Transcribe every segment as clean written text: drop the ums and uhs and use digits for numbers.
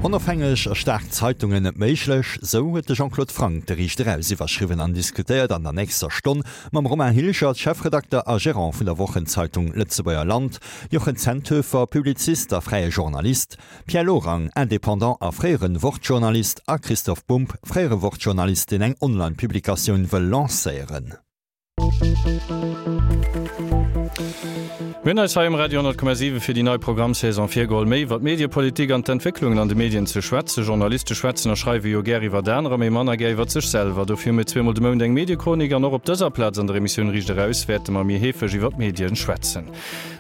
Onofhängeg a staark Zeitungen net méiglech, sou huet de Jean-Claude Franck de Riicht Eraus iwwerschriwwen an diskutéiert an der nächster Stonn mam Romain Hilgert, Chefredakter a Gerant vun der Wochenzeitung Lëtzebuerger Land, Jochen Zenthöfer, Publizist a fräie Journalist, Pierre Lorang, Indépendant a fréiere Wort-Journalist a Christoph Bumb, fréiere Wort-Journalist, deen eng Online-Publikatioun wëll lancéieren. Mir hunn eis hei um Radio 10,7 fir déi nei Programmsaison virgeholl, méi iwwer d'Mediepolitik an d'Entwécklungen an de Medien ze schwätzen. Journaliste schwätzen a schreiwe jo gär iwwer anerer, mee manner gär iwwer sech selwer. Dofir hu mir zweemol de Mount eng Mediechronik an och op dëser Plaz an der Emissioun Riicht Eraus wäerte mer méi heefeg iwwer d'Medien schwätzen.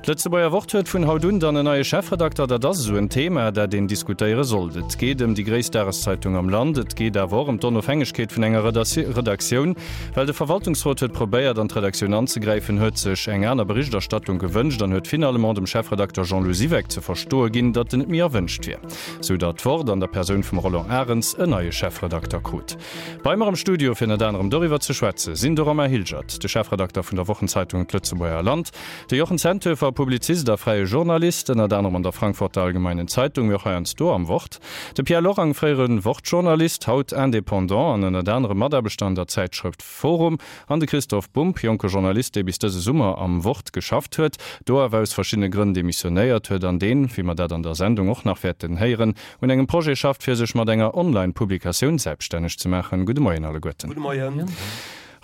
D'Lëtzebuerger Wort huet vun haut un dann en neie Chefredakter. Dat ass esou en Thema, dat een diskutéiere sollt. Et geet ëm déi gréisst Dageszeitung am Land. Et geet awer och ëm d'Onofhängegkeet vun enger Redaktioun. Well de Verwaltungsrot huet probéiert, an d'Redaktioun anzegräifen, huet sech eng aner Berichterstattung gewënscht an huet finalement dem Chefredakter Jean-Lou Siweck ze verstoe ginn, datt en net méi erwënscht wier. Sou datt d'Wort an der Persoun vum Roland Arens en neie Chefredakter krut. Bei mer am Studio, fir ënnert anerem doriwwer ze schwätze, sinn de Romain Hilgert, de Chefredakter vun der Wochenzeitung D'Lëtzebuerger Land, de Jochen Zenthöfer, Publizist a fräie Journalist, ënnert anerem an der Frankfurter Allgemeinen Zeitung, mee och heiansdo am Wort, de Pierre Lorang, fréiere Wort-Journalist, haut Indépendant an ënnert anerem Mataarbechter an der Zäitschrëft Forum, an de Christoph Bumb, jonke Journalist, dee bis dëse Summer am Wort geschafft huet, do awer aus verschiddene Grënn demissionéiert huet an deen, wéi mer dat an der Sendung och nach wäerten héieren, un engem Projet schafft, fir sech mat enger Online-Publikatioun selbststänneg ze maachen. Gudde Moien alleguerten. Gudde Moien.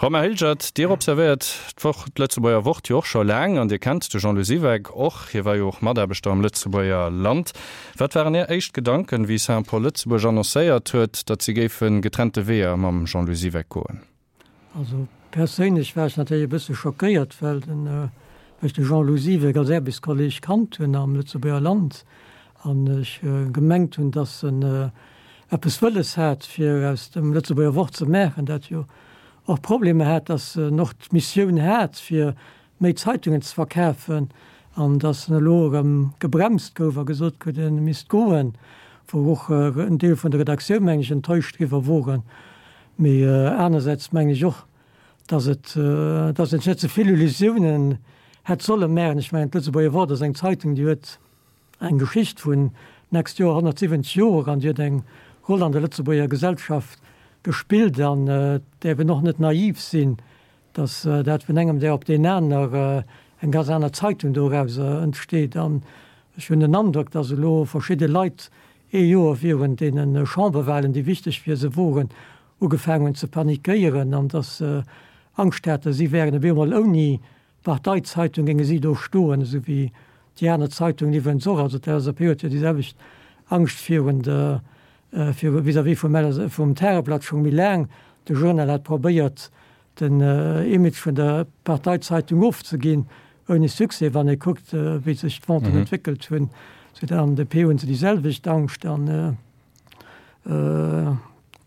Romain Hilgert, Dir observéiert d'Woch, d'Lëtzebuerger Wort jo och scho laang an Dir kennt de Jean-Lou Siweck och. Hie war jo och Mataarbechter am Lëtzebuerger Land. Wat waren Är éischt Gedanken, wéi Saint-Paul Lëtzebuerg annoncéiert huet, datt si géife getrennte Weeër mam Jean-Lou Siweck goen? Also perséinlech war ech natierlech e bësse schockéiert, well den, well ech de Jean-Lou Siweck als Aarbechtskolleg kannt hunn am Lëtzebuerger Land an ech gemengt hunn, datt en eppes wëlles hat, fir aus dem Lëtzebuerger Wort ze maachen, dat jo och Problemer hat, datt en och d'Missioun hat, fir méi Zeitungen ze verkafen, an datt en elo erëm gebremst gouf a gesot krut, en misst goen, wou och en Deel vun der Redaktioun, meng ech, enttäuscht driwwer woren. Mee anersäits mengen ech och, dass et, dass een sech net ze vill Illusiounen hätt solle maachen. Ech mengen, d'Lëtzebuerger Wort ass eng Zeitung, déi huet eng Geschicht vun d'nächst Joer 170 Joer an déi huet eng Roll an der Lëtzebuerger Gesellschaft gespillt an et däerf een och net naiv sinn, dass dat vun engem Dag op deen aner eng ganz aner Zeitung dorauser entsteet. An ech hunn den Androck, dass elo verschidde Leit ee Joer virun deene Chamberwahlen, déi wichteg fir se woren, ugefaangen hunn ze panikéieren an dass se Angscht haten, si wären op eemol ouni Parteizeitung, géinge si do stoen, esou wéi déi aner Zeitungen iwwerens och. Also d'LSAP huet jo déi selwecht Angscht virun der, viru, vis-à-vis vum, vum Tageblatt scho méi laang. De Journal hat probéiert, den Image vun der Parteizeitung ofzeginn, ouni Succès, wann ee kuckt, wéi sech d'Venten entwéckelt hunn. Sou an der DP hunn se déi selwecht Angscht an.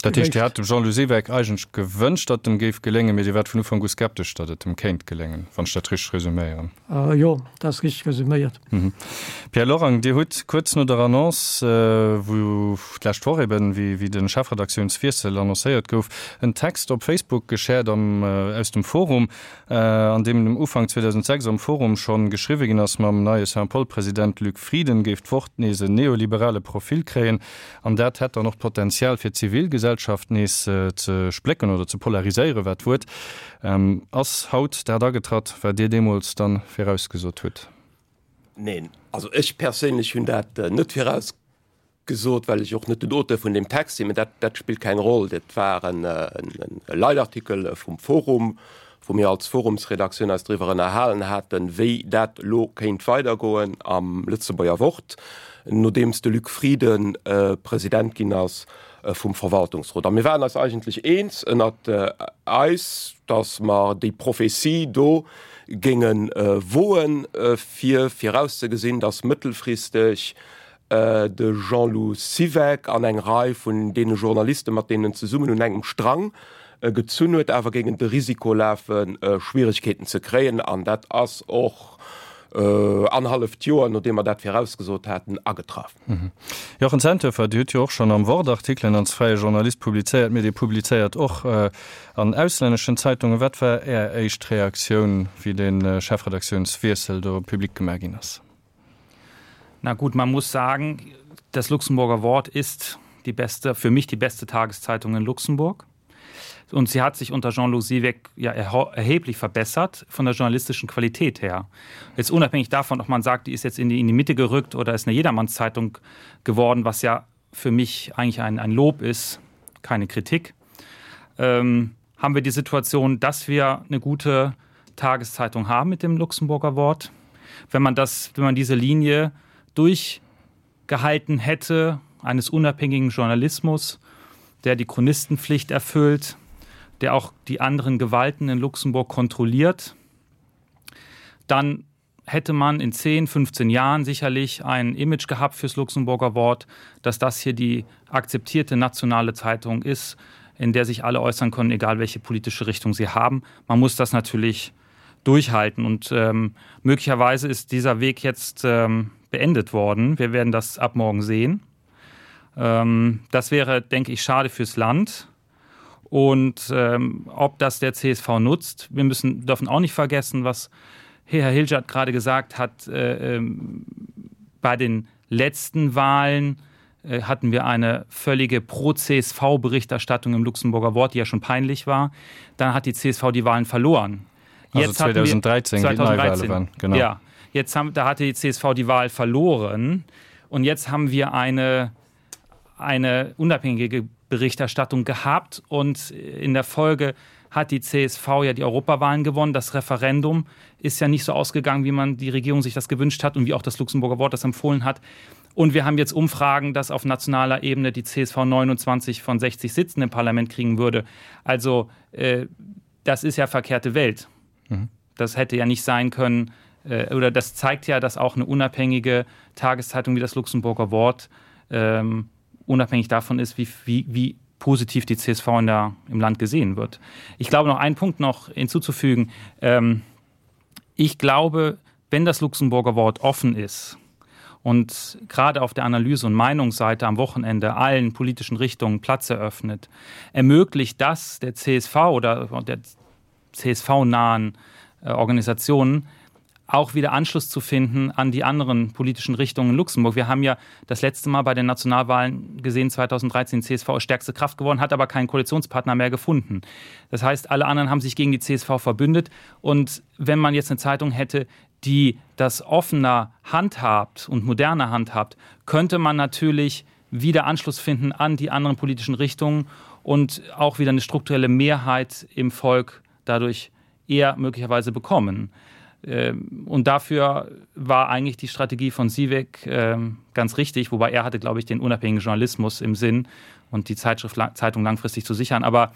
Dat heescht, Dir hat dem Jean-Lou Siweck eigentlech gewënscht, datt et em géif geléngen, mee Dir waart vun Ufank u skeptesch, datt et em kéint geléngen, wann ech dat richteg resuméieren. Jo, dat ass richteg resuméiert. Pierre Lorang, Dir hutt kuerz no der Annonce, wou d'lescht Woch eben, wéi de Chefredaktiounswiessel annoncéiert gouf, en Text op Facebook geshared am, aus dem Forum, an deem um Ufank 2006 am Forum schonn geschriwwe ginn ass, mam neie Saint-Paul-President Luc Frieden géif d'Wort nees en neoliberale Profil kréien an dat hätt dann och d'Potenzial fir d'Zivilgesellschaft nees ze splécken oder ze polariséieren, war d'Wuert. Ass haut dat agetratt, wat Dir deemools dann virausgesot hutt? Neen, also ech perséinlech hunn dat net virausgesot, well ech och net den Auteur vun deem Text sinn, mä dat, dat spillt keng Roll. Dat war en Leitartikel vum Forum, wou mir als Forumsredaktioun eis driwwer ënnerhalen haten, wéi dat elo kéint weidergoen am Lëtzebuerger Wort, nodeems de Luc Frieden President ginn ass vum Verwaltungsrot. A mir waren eis eigentlech eens ënnert eis, datt mer déi Prophetie do géinge woen, fir virauszegesinn, datt mëttelfristeg de Jean-Lou Siweck an eng Rei vun deene Journalisten, mat deenen en zesummen un engem Strang gezunn huet, awer géingen de Risiko lafen, Schwieregkeeten ze kréien. An dat ass och annerhalleft Joer, nodeem mer dat virausgesot haten, agetraff. Jochen Zenthöfer, Dir hutt jo och schonn am Wort Artikelen als fräie Journalist publizéiert, mee Dir publizéiert och an auslänneschen Zeitungen. Wat war Är éischt Reaktioun, wéi de Chefredaktiounswiessel do public gemaach ginn ass? Na gut, man muss sagen, das Luxemburger Wort ist die beste, für mich die beste Tageszeitung in Luxemburg. Und sie hat sich unter Jean-Loup Sieweg ja erheblich verbessert von der journalistischen Qualität her. Jetzt unabhängig davon, ob man sagt, die ist jetzt in die, in die Mitte gerückt oder ist eine Jedermannszeitung geworden, was ja für mich eigentlich ein, ein Lob ist, keine Kritik, ähm, haben wir die Situation, dass wir eine gute Tageszeitung haben mit dem Luxemburger Wort. Wenn man, das, wenn man diese Linie durchgehalten hätte eines unabhängigen Journalismus, der die Chronistenpflicht erfüllt, der auch die anderen Gewalten in Luxemburg kontrolliert, dann hätte man in 10, 15 Jahren sicherlich ein Image gehabt fürs Luxemburger Wort, dass das hier die akzeptierte nationale Zeitung ist, in der sich alle äußern können, egal welche politische Richtung sie haben. Man muss das natürlich durchhalten und ähm, möglicherweise ist dieser Weg jetzt ähm, beendet worden. Wir werden das ab morgen sehen. Ähm, das wäre, denke ich, schade fürs Land. Und ähm, ob das der CSV nutzt, wir müssen dürfen auch nicht vergessen, was Herr Hilgert gerade gesagt hat, äh, ähm, bei den letzten Wahlen äh, hatten wir eine völlige Pro-CSV-Berichterstattung im Luxemburger Wort, die ja schon peinlich war. Dann hat die CSV die Wahlen verloren. Jetzt also 2013, 2013 genau. ja, jetzt haben, da hatte die CSV die Wahl verloren und jetzt haben wir eine, eine unabhängige Berichterstattung gehabt und in der Folge hat die CSV ja die Europawahlen gewonnen. Das Referendum ist ja nicht so ausgegangen, wie man die Regierung sich das gewünscht hat und wie auch das Luxemburger Wort das empfohlen hat. Und wir haben jetzt Umfragen, dass auf nationaler Ebene die CSV 29 von 60 Sitzen im Parlament kriegen würde. Also äh, das ist ja verkehrte Welt. Mhm. Das hätte ja nicht sein können äh, oder das zeigt ja, dass auch eine unabhängige Tageszeitung wie das Luxemburger Wort ähm, unabhängig davon ist, wie, wie, wie positiv die CSV in der, im Land gesehen wird. Ich glaube noch einen Punkt noch hinzuzufügen. Ähm, ich glaube, wenn das Luxemburger Wort offen ist und gerade auf der Analyse- und Meinungsseite am Wochenende allen politischen Richtungen Platz eröffnet, ermöglicht das der CSV oder der CSV-nahen äh, Organisationen, auch wieder Anschluss zu finden an die anderen politischen Richtungen in Luxemburg. Wir haben ja das letzte Mal bei den Nationalwahlen gesehen 2013 CSV ist stärkste Kraft geworden, hat aber keinen Koalitionspartner mehr gefunden. Das heißt, alle anderen haben sich gegen die CSV verbündet und wenn man jetzt eine Zeitung hätte, die das offener handhabt und moderner handhabt, könnte man natürlich wieder Anschluss finden an die anderen politischen Richtungen und auch wieder eine strukturelle Mehrheit im Volk dadurch eher möglicherweise bekommen. Ähm, und dafür war eigentlich die Strategie von Siewek ähm, ganz richtig, wobei er hatte, glaube ich, den unabhängigen Journalismus im Sinn und die Zeitschrift Zeitung langfristig zu sichern. Aber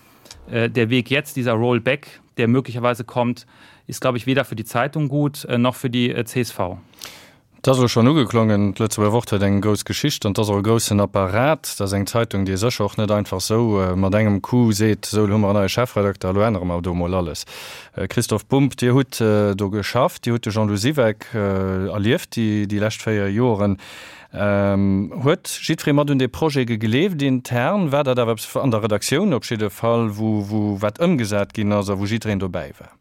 äh, der Weg jetzt, dieser Rollback, der möglicherweise kommt, ist, glaube ich, weder für die Zeitung gut äh, noch für die äh, CSV. Et ass elo schonn ugeklongen, d'Lëtzebuerger Wort huet eng grouss Geschicht an et ass och e groussen Apparat. Dat ass eng Zeitung, déi ee sécher och net einfach esou mat engem Coup seet, esou elo hu mer en neie Chefredakter, elo ännere mer do emol alles. Christoph Bumb, Dir hutt do geschafft, Dir hutt de Jean-Lou Siweck erlieft déi lescht 4 Joren. Huet jiddweree mat un dee Projet gegleeft intern? War dat awer eppes an der Redaktioun op jidde Fall, wou wat ëmgesat ginn ass a wou jiddwereen dobäi war?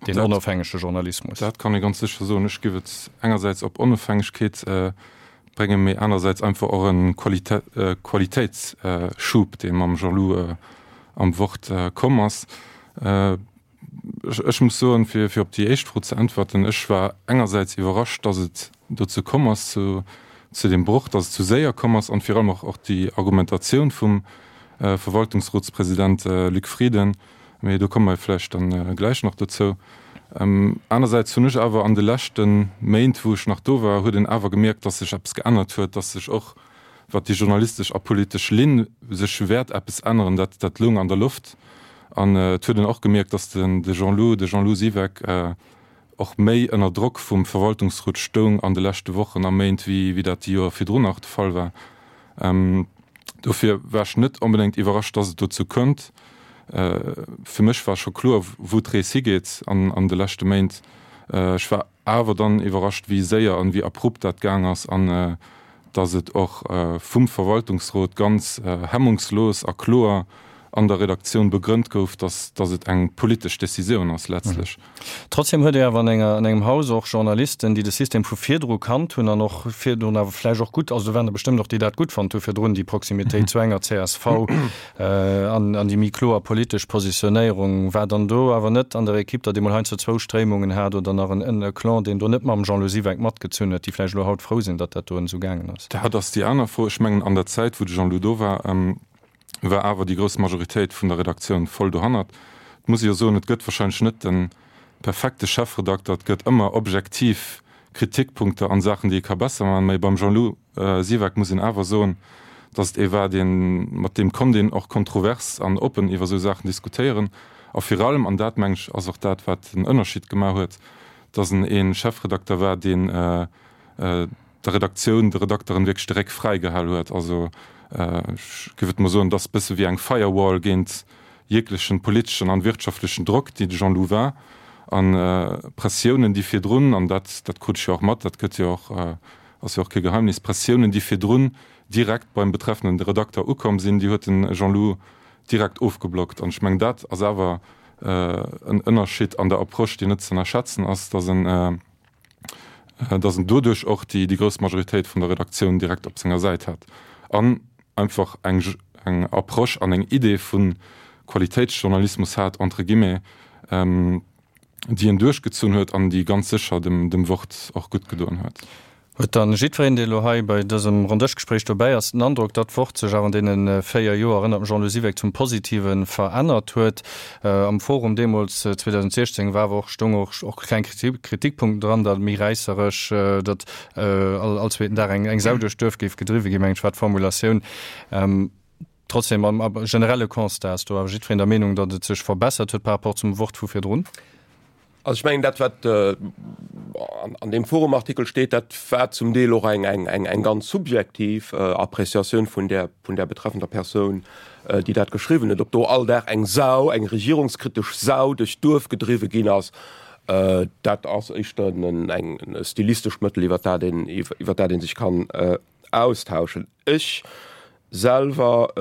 Den onofhängege Journalismus. Dat kann ee ganz sécher soen. Ech géif et engersäits op Onofhängegkeet bréngen, mee anersäits einfach och e Qualitéitsschub, dee mam Jean-Lou am Wort komm ass. Ech muss soen, fir op déi éischt Fro ze äntwerten, ech war engersäits iwwerrascht, datt et dozou komm ass, zu deem Broch, datt et sou séier komm ass an virun allem och déi Argumentatioun vum Verwaltungsrotspresident Luc Frieden, Mee do komme mer vläicht dann gläich nach dozou. Anersäits hunn ech awer an de leschte Méint, wou ech nach do war, huet een awer gemierkt, dass sech eppes geännert huet, dass sech och, wat déi journalistesch a politesch Linn, sech wäert eppes änneren. Dat, dat loung an der Loft. An et huet een och gemierkt, dass den, de Jean-Lou, de Jean-Lou Siweck och méi ënner Drock vum Verwaltungsrot stoung an de leschte Wochen a Méint, wéi, wéi dat déi Joer virdrun nach de Fall war. Dofir war ech net onbedéngt iwwerrascht, dass et dozou kënnt. Fir mech war scho kloer, wou d'Rees higeet an de leschte Méint. Ech war awer dann iwwerrascht, wéi séier an wéi abrupt dat gaang ass an dass et och vum Verwaltungsrot ganz hemmungslos a kloer. an der Redaktioun begrënnt gouf, dass, dass et eng politesch Décisioun ass letztlech. Trotzdem huet Dir awer an enger, an engem Haus och Journalisten, déi de System vu virdru kannt hunn an och virdrun awer vläicht och gutt, also do waren der bestëmmt och, déi dat gutt fonnt hu virdrun, déi Proximitéit zu enger csv an, an déi méi kloer politesch Positionéierung. War dann do awer net an der Equipe, datt ee mol heiansdo zwou Stréimungen hat oder nach en, e Clan, deen do net mam Jean-Lou Siweck matgezunn huet, déi vläicht elo haut frou sinn, datt dat do esou gaangen ass? Dat ass déi aner Fro. Ech mengen, an der Zäit, wou de Jean-Lou do war, war awer déi grouss Majoritéit vun der Redaktioun voll dohannert. Et muss ee jo soen, et gëtt wahrscheinlech net de perfekte Chefredakter, et gëtt ëmmer objektiv Kritikpunkter an Saachen, déi ee ka besser maachen, mä beim Jean-Lou Siweck muss een awer soen, datt et ee war, deen, mat deem konnt een och kontrovers an oppen iwwer esou Saachen diskutéieren a vir allem, an dat meng ech ass och dat, wat den Ënnerscheed gemaach huet, datt en ee Chefredakter war, deen der Redaktioun, de Redakteren wierklech de Réck fräi gehal huet. Also ech géif et mol soen, et ass e bësse wéi eng Firewall géint jeglechen politeschen an wirtschaftlechen Drock, déi de Jean-Lou war, an Pressiounen, déi virdrun, an dat dat krut ech jo och mat, dat gëtt jo och, ass jo och kee Geheimnis, Pressiounen, déi virdrun direkt beim betreffenden Redakter ukomm sinn, déi huet de Jean-Lou direkt ofgeblockt. An ech mengen, dat ass awer en Ënnerscheed an der Approche, deen net ze ënnerschätzen ass, datt en, dass en doduerch och déi grouss Majoritéit vun der Redaktioun direkt op senger Säit hat an einfach eng eng Approche an eng Idee vu Qualitéitsjournalismus hat, entre guillemets, déi en duerchgezunn huet an déi ganz sécher dem dem Wort och gutt gedoen huet. Huet dann jiddwereen, dee elo hei bei dësem Ronndëschgespréich dobäi ass, den Androck, datt d'Wort sech awer an deene 4 Joer ënnert dem Jean-Lou Siweck zum Positive verännert huet? Am Forum deemools 2016 war awer och, stoung och och kleng Kritikpunkten dran, datt méi räisseresch, datt all zweeten Dag eng Sau duerch d'Duerf géif gedriwwe ginn, mengen ech war d'Formulatioun. Trotzdem, am generelle Constat ass do awer jiddwereen der Meenung, datt et sech verbessert huet par rapport zum Wort vu virdrun. Also ech mengen, dat wat an deem Forum-Artikel steet, dat war zum Deel och eng ganz subjektiv Appréciatioun vun där vun där betreffender Persoun, déi dat geschriwwen huet. Ob do all Dag eng Sau, eng regierungskritesch Sau duerch d'Duerf gedriwwe ginn ass, dat ass éischter e stilistescht Mëttel, iwwer dat een iwwer dat ee sech kann austauschen. Ech selwer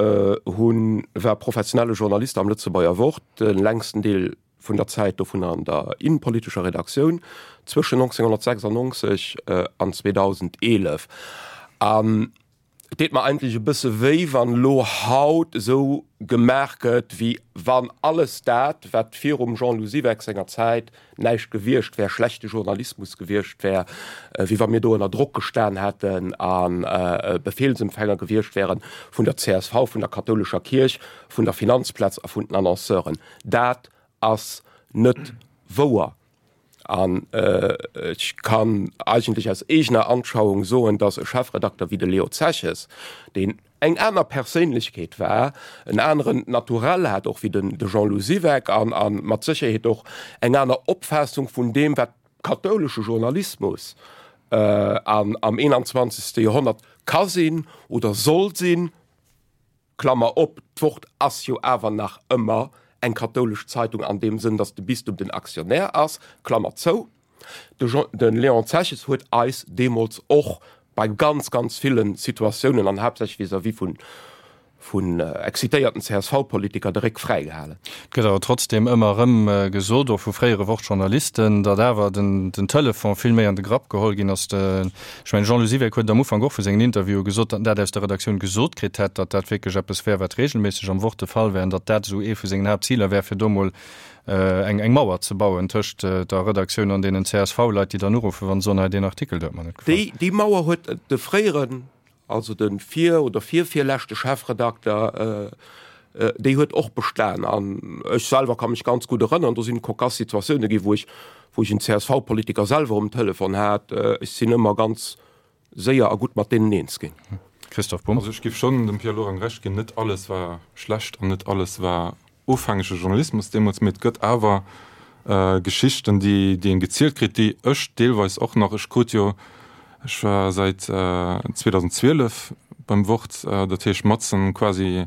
hunn war professionelle Journalist am Lëtzebuerger Wort, de längsten Deel vun der Zäit dovun an der innenpolitescher Redaktioun zwëschen 1996 an 2011. An et deet mer eigentlech e bësse wéi, wann elo haut esou gemaach gëtt, wéi wann alles dat, wat virum Jean-Lou Siweck senger Zäit näischt gewiescht wär, schlechte Journalismus gewiescht wär, wéi wa mir do ënner Drock gestan hätten a Befehlsempfänger gewiescht wären vun der csv, vun der kathoulescher Kierch, vun der Finanzplaz a vun den Annonceuren. Dat ass net wouer. An ech kann eigentlech aus eegener Anschauung soen, dass e Chefredakter wéi de Leo Zeches, deen eng aner Perséinlechkeet war, en aneren Naturell hat och wéi den de Jean-Lou Siweck an a mat Sécherheet och eng aner Opfaassung vun deem, wat kathoulesche Journalismus an am 21. Joerhonnert ka sinn oder soll sinn, Klammer op, d'Wort ass jo awer nach ëmmer eng kathoulesch Zeitung an deem Sënn, datt de Bistum den Aktionär ass, Klammer zou. De Jean, de Léon Zeches huet eis deemools och bei ganz, ganz ville Situatiounen an haaptsächlech vis-à-vis vun, vun excitéierten CSV-Politiker de Réck fräi gehalen. Et gëtt awer trotzdeem ëmmer erëm gesot, och vu fréiere Wort-Journalisten, datt awer den, den Telefon vill méi an de Grapp geholl ginn ass. De, ech mengen, Jean-Lou Siweck huet et am Ufank och vu sengen Interviewe gesot, datt en dat aus der Redaktioun gesot kritt hätt, datt dat wierklech eppes wär, wat regelméisseg am Wort de Fall wär an datt dat esou ee vu sengen Haaptziler wär, fir do mol eng eng Mauer ze bauen tëscht der Redaktioun an deenen CSV-Leit, déi dann uruffen, wa se soen, hei deen Artikel, do huet mer net gefall. Déi déi Mauer huet de fréieren, also de vir oder virvirleschte Chefredakter, déi huet och bestan. An ech selwer ka mech ganz gutt erënnern, do sinn cocasse Situatioune ginn, wou ech wou ech en CSV-Politiker selwer um Telefon hat. Ech sinn ëmmer ganz séier a gutt mat deenen eens ginn. Christoph Bumb. Also ech géif schonn dem Pierre Lorang Recht ginn, net alles war schlecht an net alles war ofhängege Journalismus deemools, mee et gëtt awer Geschichten, déi déi een gezielt kritt, déi ech deelweis och nach, ech krut jo, ech war säit 2012 beim Wort, dat heescht matzen quasi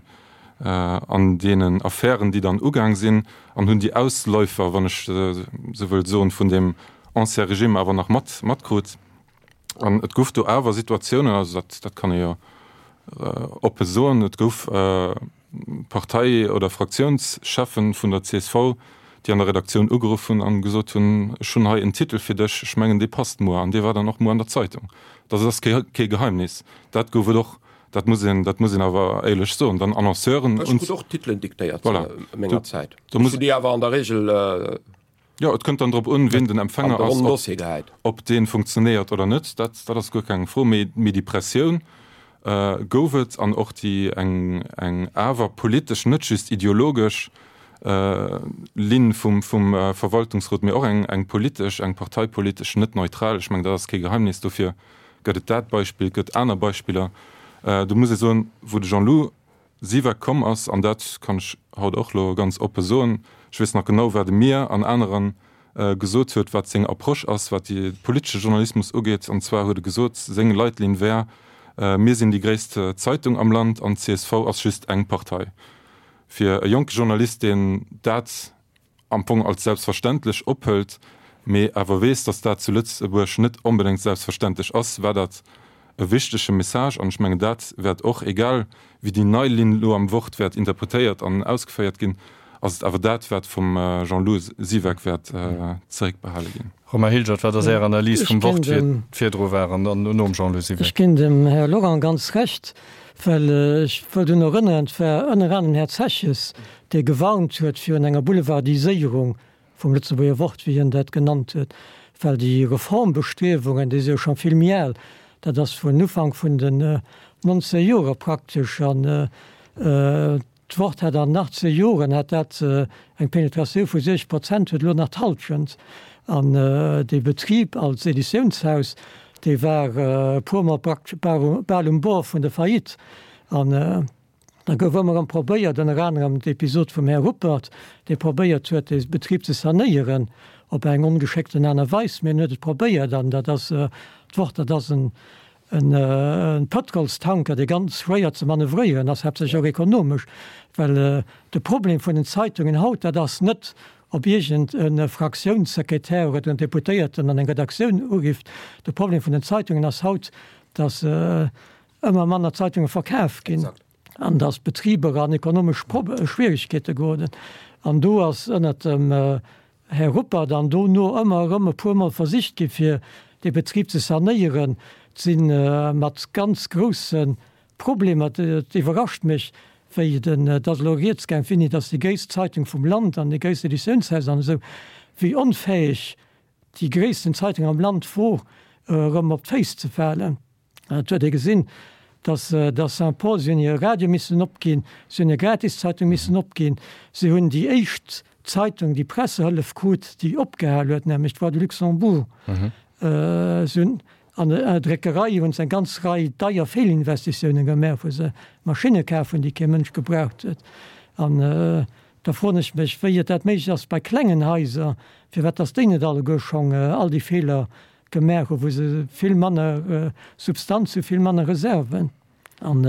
an deenen Affären, déi dann ugaang sinn, an hunn déi Ausläufer, wann ech esou wëll soen, vun deem Ancien Régime awer nach mat matkrut. An et gouf do awer Situatiounen, also dat, dat kann ee jo oppe soen, et gouf. Partei oder Fraktiounscheffen vun der csv, déi an der Redaktioun ugeruff hunn an gesot hunn, ech hunn hei en Titel fir dech, ech mengen dee passt muer. An dee war dann och muer an der Zeitung. Dat ass kee Geheimnis. Dat gouf et och, dat muss een, dat muss een awer éierlech soen. Dann Annonceuren. Ech krut och Titelen diktéiert zu menger Zäit. Ech hunn déi awer an der Regel. Jo, et kënnt dann drop un, wien den Empfänger ass, ob dee funktionéiert oder net. Dat, dat ass guer keng Fro. Mee, mee déi Pressioun gouf et an och déi eng, eng awer politesch, net just ideologesch Linn vum, vum Verwaltungsrot, mee och eng, eng politesch, eng parteipolitesch, net neutral. Ech mengen, dat ass kee Geheimnis. Dofir gëtt et dat Beispill, et gëtt aner Beispiller. Do muss ee soen, wou de Jean-Lou Siweck komm ass, an dat kann ech haut och elo ganz oppe soen, ech weess nach genau, wat e mir an aneren gesot huet, wat seng Approche ass, wat de politesche Journalismus ugeet. An zwar huet e gesot, seng Leitlinn wär, Mir sinn déi gréisst Zeitung am Land an d'CSV ass just eng Partei. Fir e jonke Journalist, deen dat am Fong als selbstverständlech ophëlt, mee awer weess, datt dat zu Lëtzebuerg net onbedéngt selbstverständlech ass, war dat e wichtege Message. An ech mengen, dat wäert och, egal wéi déi nei Linn elo am Wort wäert interpretéiert an ausgeféiert ginn, ass et awer dat, wat vum Jean-Lou Siweck wäert zeréckbehale ginn. Romain Hilgert, wat ass Är Analys vum Wort, wéi et virdru war an dann nom Jean-Lou Siweck? Ech ginn dem Här Lorang ganz Recht, well ech wëll drun erënneren, et war ënner anerem den Här Zeches, dee gewarnt huet virun enger Boulevardiséierung vum Lëtzebuerger Wort, wéi hien dat genannt huet, well déi Reformbestriewungen, déi si jo scho vill méi al, dat ass vun Ufank vun den 19 Joere praktesch, an d'Wort hat an 18 Joren hat dat eng Penetratioun vu 60 Prozent, huet elo nach d'Halschent. An dee Betrib als Editiounshaus, dee war e puermol praktesch bal um Bord vun der Faillite. An Da gouf ëmmer erëm probéiert, ënner anerem d'Episod vum Här Ruppert, dee probéiert huet, dee Betrib ze sanéieren op eng ongeschéckten Aart a Weis, mee en huet et probéiert an dat ass d'Wort, dat ass en Pëtrolstanker, dee ganz schwéier ze manövréieren ass, haaptsächlech och ekonomesch, well de Problem vun den Zeitungen haut, dat ass net, ob iergend e Fraktiounssekretär oder en Deputéierten an eng Redaktioun urifft. De Problem vun den Zeitungen ass haut, datt ëmmer manner Zeitunge verkaf ginn an datt d'Betriber an ekonomesch Schwieregkeete geroden. An do ass ënnert dem Här Ruppert an dono ëmmer erëm e puermol versicht gi fir dee Betrib ze sanéieren. Et si mat ganz grousse Problemer. Et iwwerrascht mech, wéi den, et ass elo rieds gaang, Finny, datt déi gréisst Zeitung vum Land an déi gréisst Editiounshaus an esou, wéi onfäeg déi gréissten Zeitung am Land wor, erëm op d'Féiss ze falen. Et huet ee gesinn, datt datt Saint-Paul, si hunn hire Radio missen opginn, si hunn hir Gratiszeitung missen opginn, si hunn déi éischt Zeitung, déi Pressehëllef krut, déi opgehal huet, nämlech d'Voix du Luxembourg. Si hunn an der Dréckerei hunn se eng ganz Rei deier Feelinvestitiounen gemaach, wou se Maschinne kaf hunn, déi kee Mënsch gebraucht huet. An da froen ech mech, wéi et dat méiglech ass bei klengen Haiser, firwat datt déi net alleguer schonn all déi Feeler Gemaach hu wou se vill manner Substanz hu, vill manner Reserven. An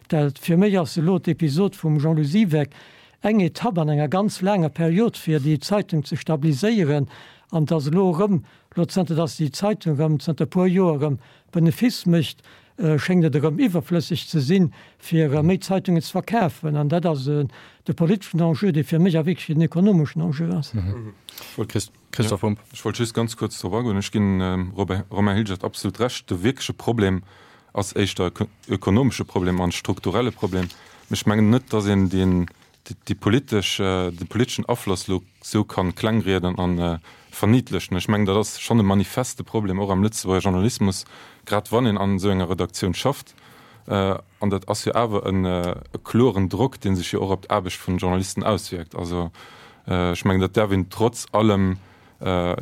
dat fir mech ass elo d'Episod vum Jean-Lou Siweck eng Etapp an enger ganz laanger Period fir déi Zeitung ze stabiliséieren an dass elo erëm, elo zënter dass déi Zeitung erëm zënter e puer Joer erëm Benefice mécht, schéngt et erëm iwwerflësseg ze sinn, fir méi Zeitungen ze verkafen. An dat ass de politeschen Enjeu, dee fir mech a wierklech en ekonomeschen Enjeu ass. Christoph Bumb. Ech wollt just ganz kuerz drop agoen. Ech ginn dem Romain Hilgert absolut Recht. De wierkleche Problem ass éischter e ökonomesche Problem an e strukturelle Problem. Mee ech mengen net, datt een deen, déi politesch, de politeschen Afloss elo esou ka klengrieden a verniedlechen. Ech mengen, dat ass schonn e manifeste Problem och am Lëtzebuerger Journalismus, grad wann een an esou enger Redaktioun schafft. An dat ass jo awer e kloren Drock, dee sech jo och op d'Aarbecht vun den Journalisten auswierkt. Also ech mengen, dat däerf een trotz allem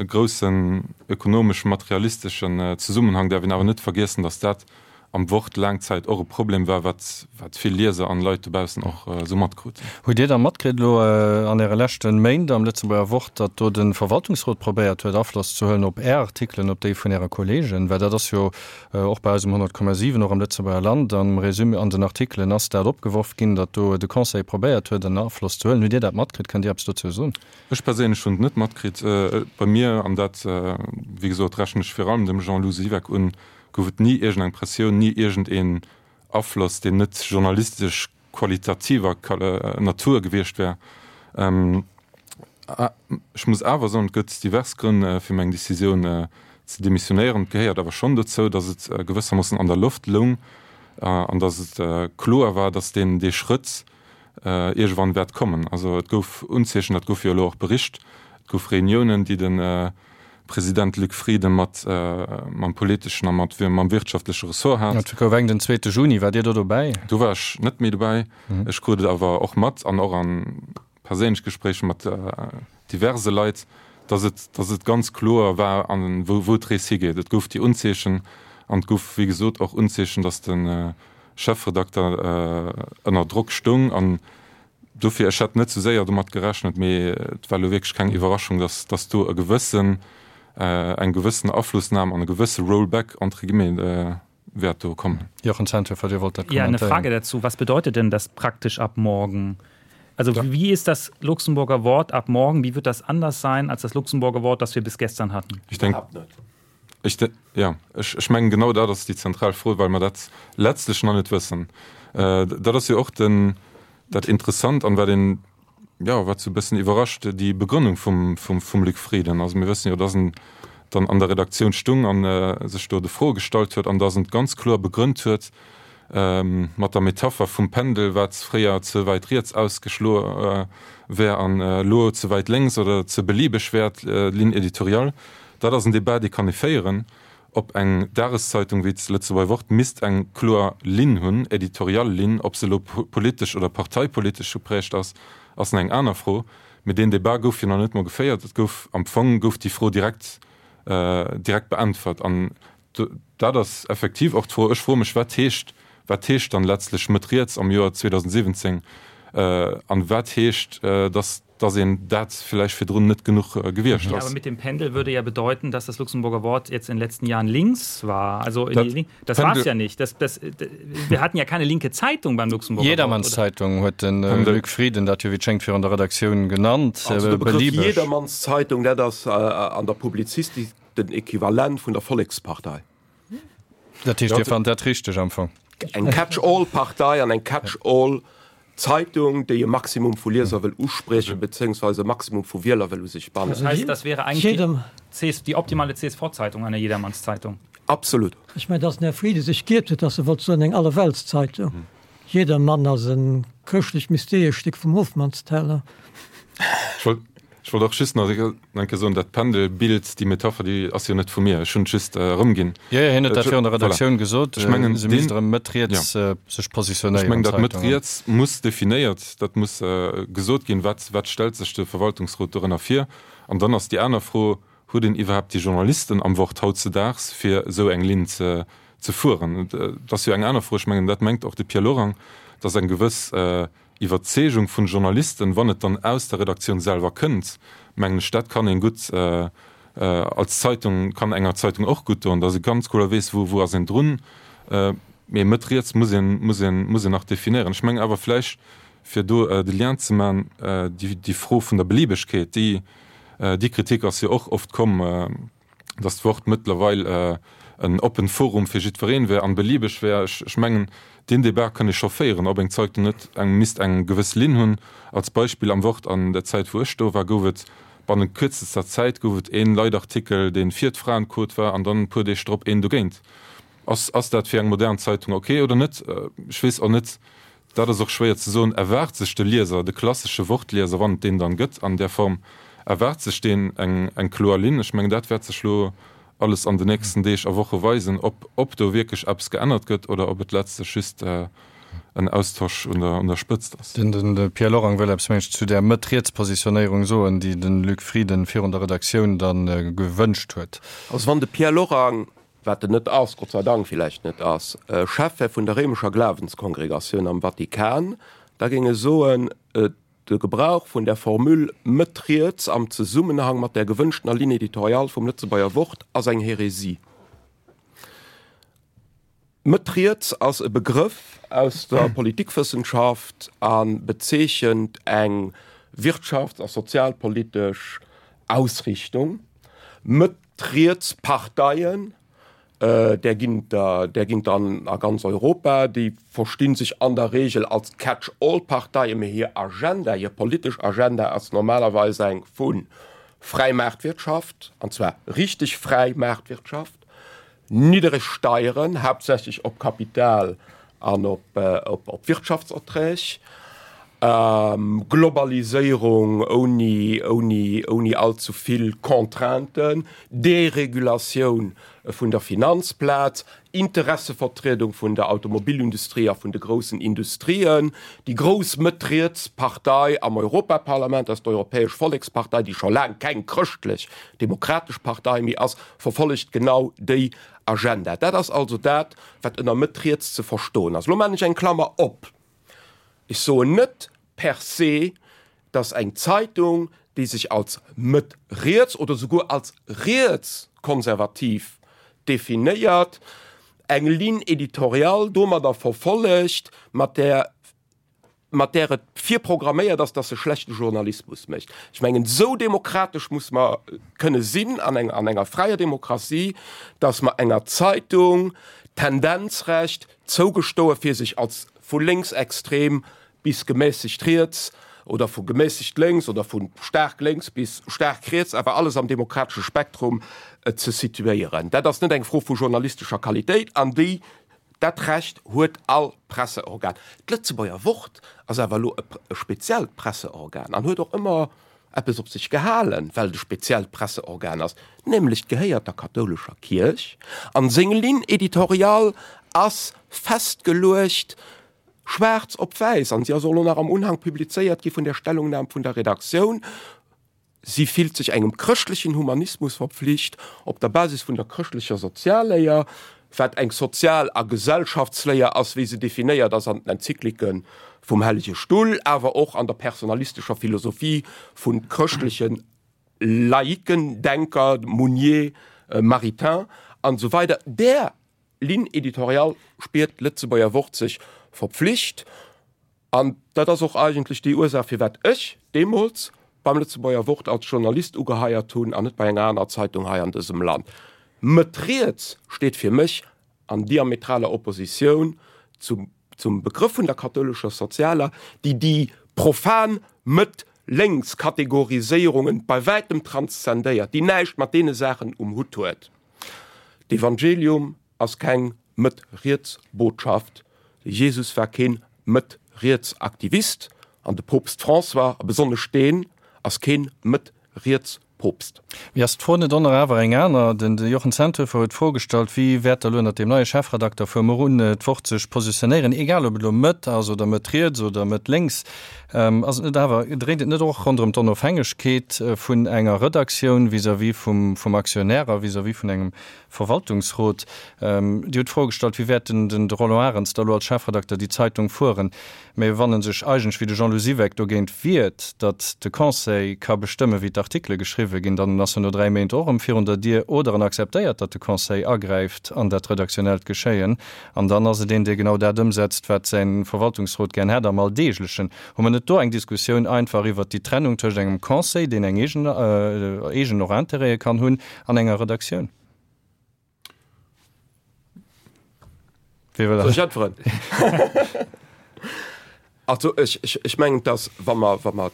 groussen ökonomesch-materialisteschen Zesummenhang däerf een awer net vergiessen, datt dat am Wort laang Zäit och e Problem war, wat wat vill Lieser an Leit dobaussen och esou matkruten. Hutt Dir da matkritt elo an Äre leschte Méint am Lëtzebuerger Wort, datt do de Verwaltungsrot probéiert huet, Afloss ze huelen op Är Artikelen, op déi vun Äre Kollegen? Well dat ass jo Och bei eis um 100,7, och am Lëtzebuerger Land, am Résumé an den Artikelen ass dat opgeworf ginn, datt do de Conseil probéiert huet, en Afloss ze huelen. Hutt Dir dat matkritt? Kënnt Dir eppes dozou soen? Ech perséinlech hunn et net matkritt. Bei mir, an dat, wéi gesot, rechnen ech vir allem dem Jean-Lou Siweck un, gouf et ni iergendeng Pressioun, ni iergendeen Afloss, deen net journalistesch. qualitativer Natur gewiescht wär. Ech muss awer soen, et gëtt divers Grënn, fir meng Decisioun ze demissionéieren. Et gehéiert awer schonn dozou, datt et gewëssermoossen an der Loft loung an datt et kloer war, datt deen dee Schrëtt iergendwann wäert kommen. Also et gouf Unzeechen, dat gouf jo elo och bericht, et gouf Reuniounen, déi de President Luc Frieden mat mam politeschen a mat mam wirtschaftleche Ressort hat. Et gouf eng den zweete Juni. Waart Dir do dobäi? Do war ech net méi dobäi. Ech krut et awer och mat an och a perséinlech Gespréicher mat diverse Leit, dass et, dass et ganz kloer war, an wou, wou d'Rees higeet. Et gouf déi Unzeechen an et gouf, wéi gesot, och Unzeechen, dass de Chefredakter ënner Drock stoung. An dofir, ech hätt net sou séier domat gerechnet, mee et war elo wierklech keng Iwwerraschung, dass, dass do e gewëssen, eng gewëssen Aflossnam an e gewësse Rollback entre guillemets wäert do kommen. Jochen Zenthöfer, Dir wollt dat Ja, eine Frage dazu. Was bedeutet denn das praktisch ab morgen? Also ja. wie ist das Luxemburger Wort ab morgen? Wie wird das anders sein als das Luxemburger Wort, das wir bis gestern hatten? Ich denke ich de, ja, ech, ech mengen genau dat ass déi zentral Fro, well mer dat letztlech nach net wëssen. Äh, dat ass jo och den, dat Interessant an wat een jo, wat sou e bëssen iwwerrascht, déi Begrënnung vum, vum, vum Luc Frieden. Also mir wëssen jo, dass en dann an der Redaktioun stung an sech do de Froe gestallt huet an dass en ganz kloer begrënnt huet mat der Metapher vum Pendel, wat fréier ze wäit riets ausgeschloe wär an elo ze wäit lénks oder ze beliebeg wär, d'Ligne éditoriale. Dat ass en Debat, dee kann ee féieren. Ob eng Dageszeitung wéi d'Lëtzebuerger Wort misst eng kloer Linn hunn, éditorial Linn, ob se elo politesch oder parteipolitesch geprägt ass, ass nach eng aner Fro. Mee deen Debat gouf jo nach net mol geféiert. Et gouf am Fong gouf déi Fro direkt direkt beäntwert. An dat ass effektiv och d'Fro. Ech froe mech, wat heescht, wat heescht dann letztlech Mëtt riets am Joer 2017? An wat heescht, datt dass een dat vläicht virdrun net genuch gewiescht ass. Ja, aber mit dem Pendel würde ja bedeuten, dass das Luxemburger Wort jetzt in den letzten Jahren links war. Also in die, das war es ja nicht. Das, das, wir hatten ja keine linke Zeitung beim Luxemburger Jedermannszeitung huet den äh, Luc Frieden dat jo wéi schéngt virun der Redaktioun genannt. Also de Begrëff Jedermannszeitung, dat ass äh, an der Publizistik den Equivalent vun der Vollekspartei. Dat heescht, Dir fannt dat richteg am Fong? Eng Catch-all-Partei an eng Catch-all-Zeitung, déi e Maximum vu Lieser wëll uspriechen, bezéiungsweise e Maximum vu Wieler wëll u sech bannen. Das heißt, das wäre eigentlich die, die optimale CSV-Zeitung, eine Jedermannszeitung. Absolut. Ech mengen, dass den Här Frieden sech giert huet, dass e wollt soen, eng Allerweltszeitung. Jedermann ass e chrëschtlech-mysteeresch Stéck vum Hofmannsteller. Ech wollt Ech wollt och just nach eng Kéier soen, dat Pendelbild, déi Metapher, déi ass jo net vu mir. Ech hunn et just erëmginn. Jo, jo, hien huet dat virun der Redaktioun gesot, Ech mengen, se misst erëm Mëtt riets sech positionéieren. Ech mengen, dat Mëtt riets muss definéiert, dat muss gesot ginn, wat, wat stellt sech de Verwaltungsrot dorënner vir? An dann ass déi aner Fro, Huet een iwwerhaapt déi Journalisten am Wort hautzedaags, fir esou eng Linn ze, ze fueren? Dat ass jo eng aner Fro. Ech mengen, dat mengt och de Pierre Lorang, datt eng gewëss Iwwerzeegung vun Journalisten, wann et dann aus der Redaktioun selwer kënnt, mengen ech, dat kann een gutt als Zeitung, kann enger Zeitung och gutt doen, datt ee ganz kloer weess, wou wou ass een drun. Mee Mëtt riets muss een, muss een, muss een nach definéieren. Ech mengen awer vläicht, fir do de Lien ze man, déi déi Fro vun der Beliebegkeet, déi déi Kritik ass jo och oft komm, dass d'Wort mëttlerweil en oppen Forum fir jiddwereen wär an beliebeg wär. Ech mengen, deen Debat kann ee scho féieren, ob eng Zeitung net eng misst eng gewëss Linn hunn. Als Beispill, am Wort an der Zäit wou ech do war, gouf et bannent kürzester Zäit gouf et een Leitartikel, deen fir d'Fraenquot war an dann e puer Deeg drop een dogéint. Ass ass dat fir eng modern Zeitung ok oder net? Ech weess och net, Dat ass och schwéier ze soen. Erwaart sech de Lieser, de klassesche Wortlieser, wann et deen dann gëtt an där Form, erwaart sech deen eng eng kloer Linn? Ech mengen, dat wäert sech elo alles an den nächsten Deeg a Woche weisen, ob ob do wierklech eppes geännert gëtt oder ob et letztlech just en Austosch un der un der Spëtzt ass. Den de Pierre Lorang wëll eppes, meng ech, zu där Mëtt-Riets-Positionéierung soen, déi de Luc Frieden virun der Redaktioun dann gewënscht huet. Also wann de Pierre Lorang wat en net ass, Gott sei Dank villäicht net ass, Chef wär vun der réimescher Glawenskongregatioun am Vatikan, da géing e soen, de Gebrauch vun der Formule Mëtt riets am Zesummenhang mat der gewënschtener Ligne éditoriale vum Lëtzebuerger Wort ass eng Hérésie. Mëtt riets ass e Begrëff aus der Politikwëssenschaft a bezeechent eng wirtschafts a sozialpolitesch Ausrichtung. Mëtt D'riets Parteien. Där ginn der, där ginn der an a ganz Europa. Déi versti sech an der Regel als Catch-all-Parteien, mee hir Agenda, hir politesch Agenda ass normalerweis eng vu fräi Maartwirtschaft, an zwar richteg fräi Maartwirtschaft, niddereg Steieren, haaptsächlech op Kapital an op Wirtschaftserträg, Globaliséierung ouni, ouni, ouni allzu vill Contrainten, Deregulatioun vun der Finanzplaz, Interessevertriedung vun der Automobilindustrie a vun de groussen Industrien. Déi grouss Mëtt-riets Partei am Europaparlament ass d'Europäesch Vollekspartei, déi scho laang keng chrëschtlech demokratesch Partei méi ass, verfollegt genau déi Agenda. Dat ass also dat, wat ënner Mëtt-riets ze verstoen ass. Elo maachen ech eng Klammer op. Ech soen net per se, dass eng Zeitung, déi sech als Mëtt-riets oder souguer als rietskonservativ definéiert, eng Ligne éditoriale domadder verfollegt, mat där mat där et virprogramméiert ass, dass se schlechte Journalismus mécht. Ech mengen, esou demokratesch muss mer kënne sinn an eng, an enger fräier Demokratie, dass mer enger Zeitung d'Tendenzrecht zougestoe fir sech als vu lénksextrem bis gemässegt riets oder vu gemässegt lénks oder vu staark lénks bis staark riets, awer alles am demokratesche Spektrum ze situéieren. Dat ass net eng Fro vu journalistescher Qualitéit an déi Dat Recht huet all Presseorgan. D'Lëtzebuerger Wort ass awer elo e speziellt Presseorgan an huet och ëmmer eppes op sech gehalen, well et e speziellt Presseorgan ass, nämlech gehéiert der kathoulescher Kierch an seng Ligne éditoriale ass festgeluecht, schwaarz op wäiss, an si ass och elo nach am Unhang publizéiert gi vun der Stellungnam vun der Redaktioun. Si fillt sech engem chrëschtlechen Humanismus verpflicht, op der Basis vun der chrëschtlecher Sozialléier, wat eng Sozial a Gesellschaftsléier ass, wéi se definéiert ass an den Enzyklike vum Hellege Stull, awer och an der personalistescher Philosophie vu chrëschtleche Laiken, Denker, Mounier, Maritain an esou weider. Där Ligne éditoriale spiert d'Lëtzebuerger Wort sech verpflicht. An dat ass och eigentlech déi Ursaach, firwat ech deemools beim Lëtzebuerger Wort als Journalist ugeheiert hunn an net bei enger anerer Zeitung hei an dësem Land. Mëtt riets steet fir mech an diametraler Oppositioun zum, zum Begrëff vun der kathoulescher Sozialer, déi déi profan Mëtt lénks Kategoriséierungen bei wäitem transzendéiert, déi näischt mat deene Saachen um Hutt huet. D'Evangelium ass keng Mëtt-Riets-Botschaft. De Jesus war keen Mëtt-Riets-Aktivist an de Poopst François, a besonnesch deen, ass keen Mëtt-Riets-Poopst. Mee ass d'Fro net onnere awer eng aner? Den Jochen Zenthöfer huet d'Fro gestallt, Wéi wäert da elo ënnert deem neie Chefredakter vu muer un d'Wort sech positionéieren, egal ob et elo Mëtt ass oder Mëtt-Riets oder Mëtt-Lénks? Ass et net awer, dréint et net och ronderëm d'Onofhängegkeet vun enger Redaktioun vis-à-vis vum Aktionär a vis-à-vis vun engem Verwaltungsrot. Dir hutt d'Fro gestallt, wéi wäert den de Roland Arens da elo als Chefredakter déi Zeitung fueren? Mä wann e sech eigentlech, wéi de Jean-Lou Siweck, dogéint wiert, datt de Conseil ka bestëmmen, wéi d'Artikele geschriwwe ginn, dann ass en no 3 Méint och erëm virun der Dier. Oder en akzeptéiert, datt de Conseil agräift an dat redaktionellt Geschéien, an dann ass et een, dee genau dat ëmsetzt, wat säi Verwaltungsrot gär hätt am Alldeeglechen. Hu mer net do eng Diskussioun einfach iwwert déi Trennung tëscht engem Conseil, deen eng eegen, eegen och Intérêtë kann hunn, An enger Redaktioun. Wie wëll Soll ech äntweren? Also ech, ech, ech mengen, dass wa mer, wa mer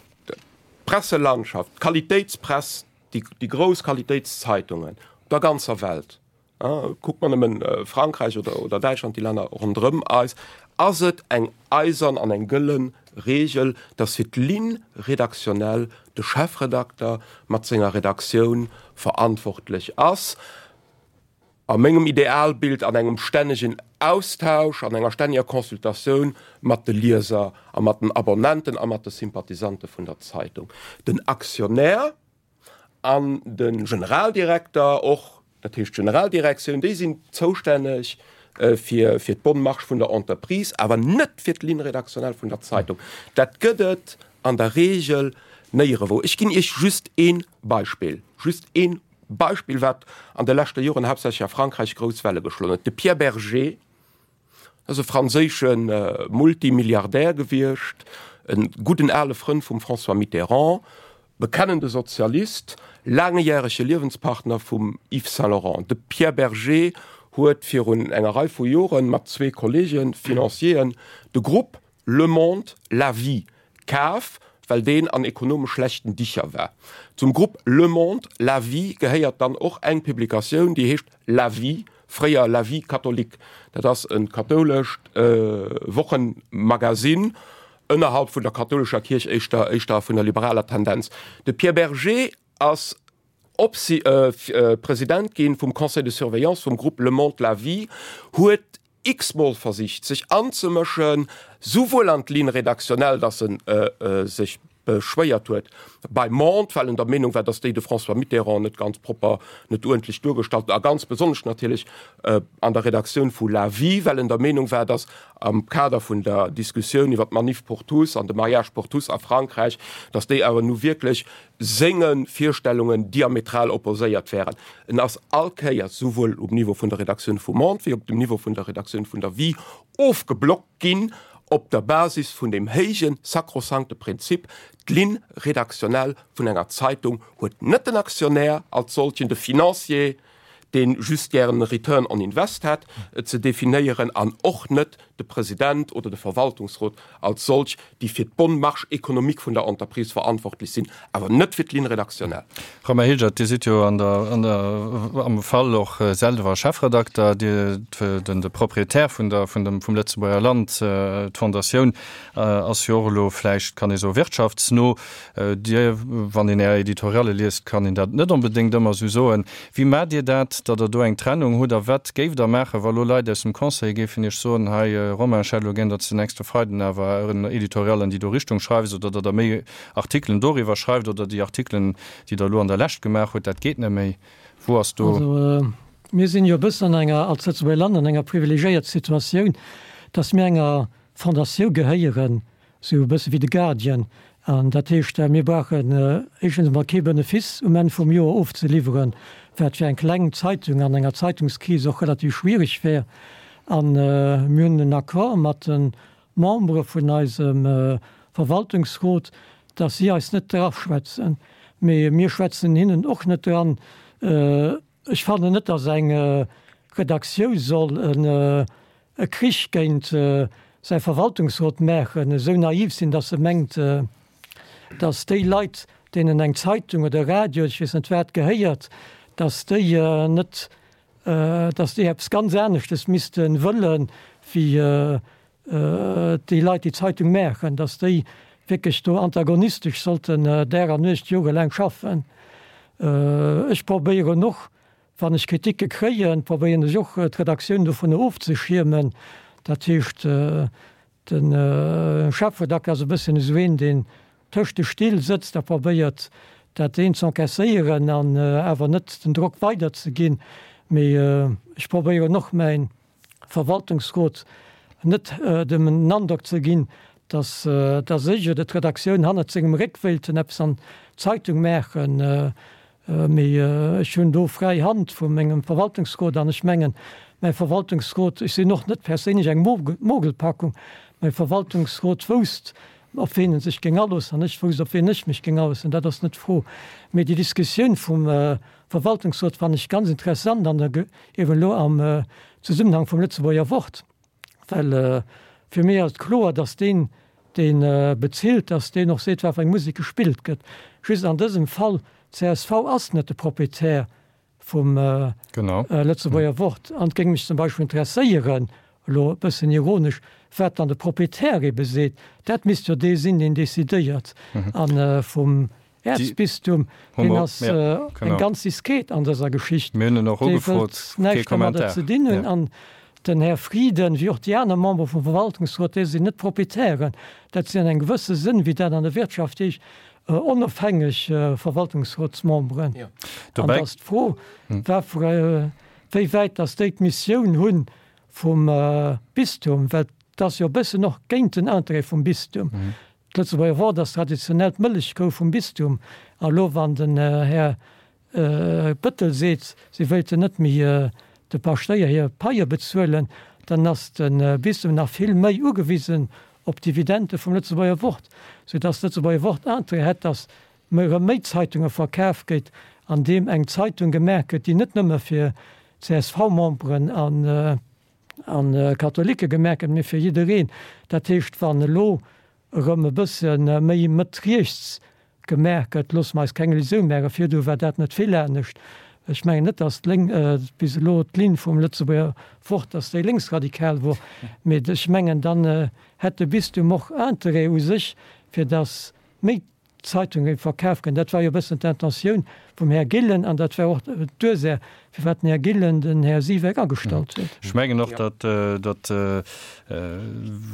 d'Presselandschaft, d'Qualitéitspress, déi, déi grouss Qualitéitszeitungen op der ganzer Welt, Kuckt mer nëmmen Frankräich oder, oder Däitschland, déi Länner ronderëm eis, ass et eng eisern an eng gëlle Regel, dass fir d'Ligne rédactionnelle de Chefredakter mat senger Redaktioun verantwortlech ass. A mengem Idealbild an engem stännegen Austausch, an enger stänneger Consultatioun mat de Lieser a mat den Abonnenten a mat de Sympathisante vun der Zeitung. Den Aktionär An de Generaldirekter och, dat heescht d'Generaldirektioun, déi sinn zoustänneg fir fir d'bonne marche vun der Entreprise, awer net fir d'Ligne rédactionnelle vun der Zeitung. Dat gëtt et an der Regel néierewou. Ech ginn Iech just ee Beispill, just ee Beispill, wat an de leschte Joren haaptsächlech a Frankräich grouss Welle geschloen huet, De Pierre Bergé, Ass e franséische Multimilliardär gewiescht, e gudden ale Frënd vum François Mitterrand, bekennende Sozialist, laangjärege Liewenspartner vum Yves Saint Laurent. De Pierre Bergé. huet virun enger Rei vu Joren mat zwee Kollegen, Financieren, de Grupp Le Monde, La Vie kaf, well deen an ekonomesch schlechten Dicher war. Zum Grupp Le Monde, La Vie gehéiert dann och eng Publikatioun, déi heescht La Vie, fréier La Vie catholique. Dat ass e kathoulescht Wochenmagazin ënnerhalb vun der kathoulescher Kierch, éischter éischter vun der liberaler Tendenz. De Pierre Bergé ass op si President ginn vum Conseil de surveillance vum Grupp Le Monde, La Vie, huet x-mol versicht sech anzemëschen, souwuel an d'Ligne rédactionnelle, datt en sech beschwéiert huet beim Monde, well en der Meenung war, datt déi de François Mitterrand net ganz propper, net uerdentlech duergestallt huet, a ganz besonnesch natierlech an der Redaktioun vu La Vie, well en der Meenung war, datt am Kader vun der Diskussioun iwwer d'Manif pour tous an de Mariage pour tous a Frankräich, datt déi awer nu wierklech senge Virstellungen diametral opposéiert wären. En ass all Kéiers, souwuel um Niveau vun der Redaktioun vum Monde wéi op dem Niveau vun der Redaktioun vun der Vie, ofgeblockt ginn op der Basis vun deem héije sakrosankte Prinzip, D'Ligne rédactionnelle vun enger Zeitung huet net den Aktionär als solchen, de Financier, dee just gären e Return on Invest hätt, ze definéieren an och net de President oder de Verwaltungsrot als solch, déi fir d'bonne marche économique vun der Entreprise verantwortlech sinn, awer net fir d'Ligne rédactionnelle. Romain Hilgert, Dir sidd jo an der, an der, am Fall och selwer Chefredakter, Dir, den, de Proprietär vun der, vun dem, vum Lëtzebuerger Land, d'Fondatioun ass jo och elo vläicht, kann ee soen, wirtschaftsno. Dir, wann een Är Editorialle liest, kann een dat net onbedéngt ëmmer esou soen. Wéi maacht Dir dat, datt Der do eng Trennung hutt? A wat géift Der maachen, wa lo Leit aus dem Conseil géifen Iech soen, hei Romain, ech hätt elo gär, datt s de nächste Freiden awer en Editorial an déi do Richtung schreifs oder datt Der méi Artikelen doriwwer schreift oder déi Artikelen, déi Der elo an der Lescht gemaach hutt, dat geet net méi. Wou ass do. Also mir sinn jo e bëssen an enger, als Lëtzebuerger Land, an enger privilegiéiert Situatioun, datt mir enger Fondatioun gehéieren, Sou e bësse wéi de Guardian. An dat heescht, mir brauchen éischtens emol kee Benefice um Enn vum Joer ofzeliwweren, wat fir eng kleng Zeitung an enger Zeitungskris och relativ schwierig wär. A mir hunn en Accord mat de Membere vun eisem Verwaltungsrot, dass si eis net draschwätzen. Mee mir schwätzen hinnen och net dran. Ech fannen net, dass eng Redaktiou soll e Krich géint säi Verwaltungsrot maachen, esou naiv sinn, dass se mengt, dass déi Leit, deenen eng Zeitung oder e Radio, ech weess net wat, gehéiert, dass déi net, dass déi eppes ganz aneschtes misste wëllen, wéi déi Leit, déi d'Zeitung maachen, dass déi wierklech do antagonistesch sollten Dag an Nuecht jorelaang schaffen. Ech probéieren och, wann ech Kriticke kréien, probéieren ech och d'Redaktioun dovunner ofzeschiermen. Dat heescht, de Chefredakter ass e bësschen esou een, deen tëscht de Still sëtzt a probéiert, dat eent z'encaisséieren an awer net den Drock weiderzeginn. Mee ech probéieren och mäin Verwaltungsrot net dem Androck ze ginn, datt datt ech oder d'Redaktioun hannert sengem Réck wéilten eppes an d'Zeitung maachen. Mee ech hunn do fräi Hand vu mengem Verwaltungsrot an ech mengen, mäi Verwaltungsrot, ech sinn och net perséinlech eng Mogelpackung, mäi Verwaltungsrot wousst, op ween en sech géing aloossen an ech wousst, op ween ech mech géing aloossen. Dat ass net d'Fro. Mee déi Diskussioun vum Verwaltungsrot fannen ech ganz interessant an der, eben elo am Zesummenhang vum Lëtzebuerger Wort, well fir mech ass et kloer, dass deen, dee bezilt, dass deen och seet, wat fir eng Musek gespillt gëtt. Just an dësem Fall, csv ass net de Proprietär vum Lëtzebuerger Wort. An et géing mech zum Beispill interesséieren, elo e bëssen ironesch, wat dann de Proprietär ebe seet. Dat misst jo dee sinn, deen decidéiert. A vum Äerzbistum, deen ass eng ganz diskret an dëser Geschicht. Mir hunn en och Dee ugefrot, wëllt kee näischt domadder Kommentar. ze dinn hunn. An den Här Frieden, wéi och déi aner Membere vum Verwaltungsrot, déi sinn net Proprietären. Dat sinn an engem gewësse Sënn, wéi dat an der Wirtschaft heescht, onofhängeg Verwaltungsrotsmemberen. An da ass d'Fro, wéi wäit datt déi d'Missioun hu vum Bistum, well et ass jo e bëssen och géint den Interêt vum Bistum. D'Lëtzebuerger Wort ass traditionell d'Mëllechkou vum Bistum. A lo wann den Här Bettel seet, si wéilten net méi de Paschtéier hir Paie bezuelen, dann ass de Bistum nach vill méi ugewisen op d'Dividende vum Lëtzebuerger Wort, soudass d'Lëtzebuerger Wort Interêt hätt, dass erëm méi Zeitunge verkaf gétt, an deem eng Zeitung gemaach gëtt, déi net nëmme fir. CSV-Memberen an a Katholike gemaach gëtt, mee fir jiddereen. Dat heescht, wann elo erëm e bësse méi Mëtt-riets gemaach gëtt, loosse mer eis keng Illusioun maachen, virdu war dat net vill anescht. Ech mengen net, datt d'Lénk bis elo d'Linn vum Lëtzebuerger Wort, datt déi lénksradikal wor, mee ech mengen, dann hätt de Bistum och Interêt u sech, fir datt méi Zeitung géif verkaf ginn. Dat war jo e bëssen d'Intentioun vum Här Gillen an dat war och d'Ursaach, firwat den Här Gillen den Här Siweck agestallt huet. Ech mengen och, datt, datt,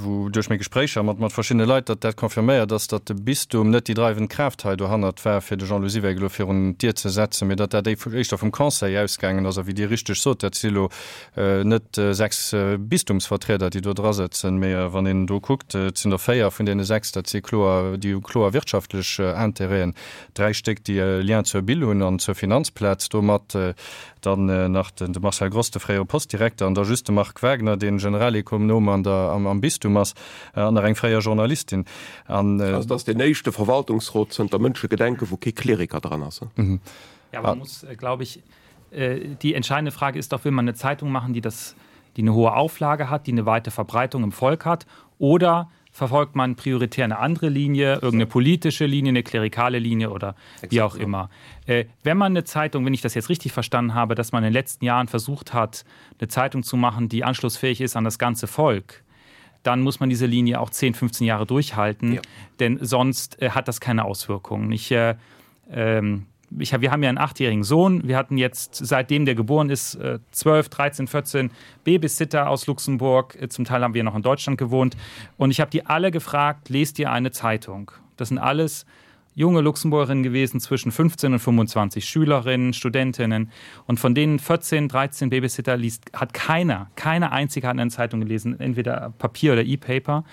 wou duerch meng Gespréicher mat, mat verschiddene Leit, datt dat confirméiert ass, datt de Bistum net déi dreiwend Kraaft hei dohannert war, fir de Jean-Lou Siweck elo virun d'Dier ze setzen, mee datt dat éischter vum Conseil ausgaangen ass. A wéi Dir richteg sot, dat si elo Net 6 Bistumsvertrieder, déi do drasëtzen, mee wann een do kuckt, et sinn der 4 vun deene 6, dat si kloer, déi hu kloer wirtschaftlech Intérêten, 3 Stéck, déi e Lien zur Bill hunn an zur Finanzplaz domat, dann nach de Marcel Gross, de fréiere Postdirekter, an da just de Marc Wagner, dee Generalekonom an der, am Bistum ass, an nach eng fréier Journalistin. An. Also et ass deen éischte Verwaltungsrot zënter Mënschegedenke wou kee Kleriker dran ass. Ja, man muss, glaube ich, Äh, die entscheidende Frage ist doch, will man eine Zeitung machen, die das die eine hohe Auflage hat, die eine weite Verbreitung im Volk hat oder verfolgt man prioritär eine andere Linie, irgendeine politische Linie, eine klerikale Linie oder wie auch immer. Äh, wenn man eine Zeitung, wenn ich das jetzt richtig verstanden habe, dass man in den letzten Jahren versucht hat, eine Zeitung zu machen, die anschlussfähig ist an das ganze Volk, dann muss man diese Linie auch 10, 15 Jahre durchhalten, ja. denn sonst äh, hat das keine Auswirkungen. Ich, äh, ähm, ich hab, wir haben ja einen achtjährigen Sohn. Wir hatten jetzt seitdem der geboren ist 12, 13, 14 Babysitter aus Luxemburg. Äh, zum Teil haben wir noch in Deutschland gewohnt. Und ich habe die alle gefragt, lest ihr eine Zeitung? Das sind alles junge Luxemburgerinnen gewesen zwischen 15 und 25 Schülerinnen, Studentinnen und von denen 14, 13 Babysitter liest hat keiner, keine einzige hat eine Zeitung gelesen, entweder Papier oder E-Paper.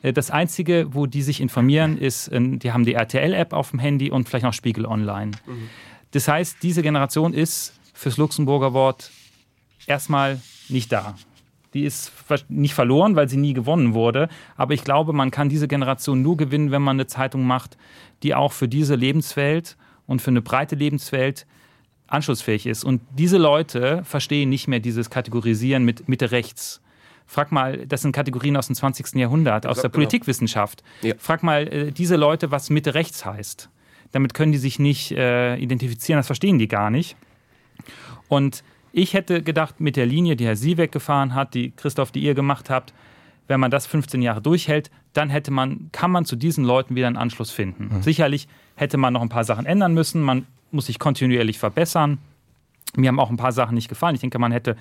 Äh, das einzige, wo die sich informieren, ist, äh, die haben die RTL-App auf dem Handy und vielleicht noch Spiegel online. Mhm. Das heißt, diese Generation ist fürs Luxemburger Wort erstmal nicht da. Die ist nicht verloren, weil sie nie gewonnen wurde. Aber ich glaube, man kann diese Generation nur gewinnen, wenn man eine Zeitung macht, die auch für diese Lebenswelt und für eine breite Lebenswelt anschlussfähig ist. Und diese Leute verstehen nicht mehr dieses Kategorisieren mit Mitte rechts. Frag mal, das sind Kategorien aus dem 20. Jahrhundert, aus der genau. Politikwissenschaft. Ja. Frag mal äh, diese Leute, was Mitte rechts heißt. Damit können die sich nicht äh, identifizieren, das verstehen die gar nicht. Und ich hätte gedacht, mit der Linie, die Herr Sieweck gefahren hat, die Christoph, die ihr gemacht habt, wenn man das 15 Jahre durchhält, dann hätte man, kann man zu diesen Leuten wieder einen Anschluss finden. Mhm. Sicherlich hätte man noch ein paar Sachen ändern müssen. Man muss sich kontinuierlich verbessern. Mir haben auch ein paar Sachen nicht gefallen. Ich denke, man hätte,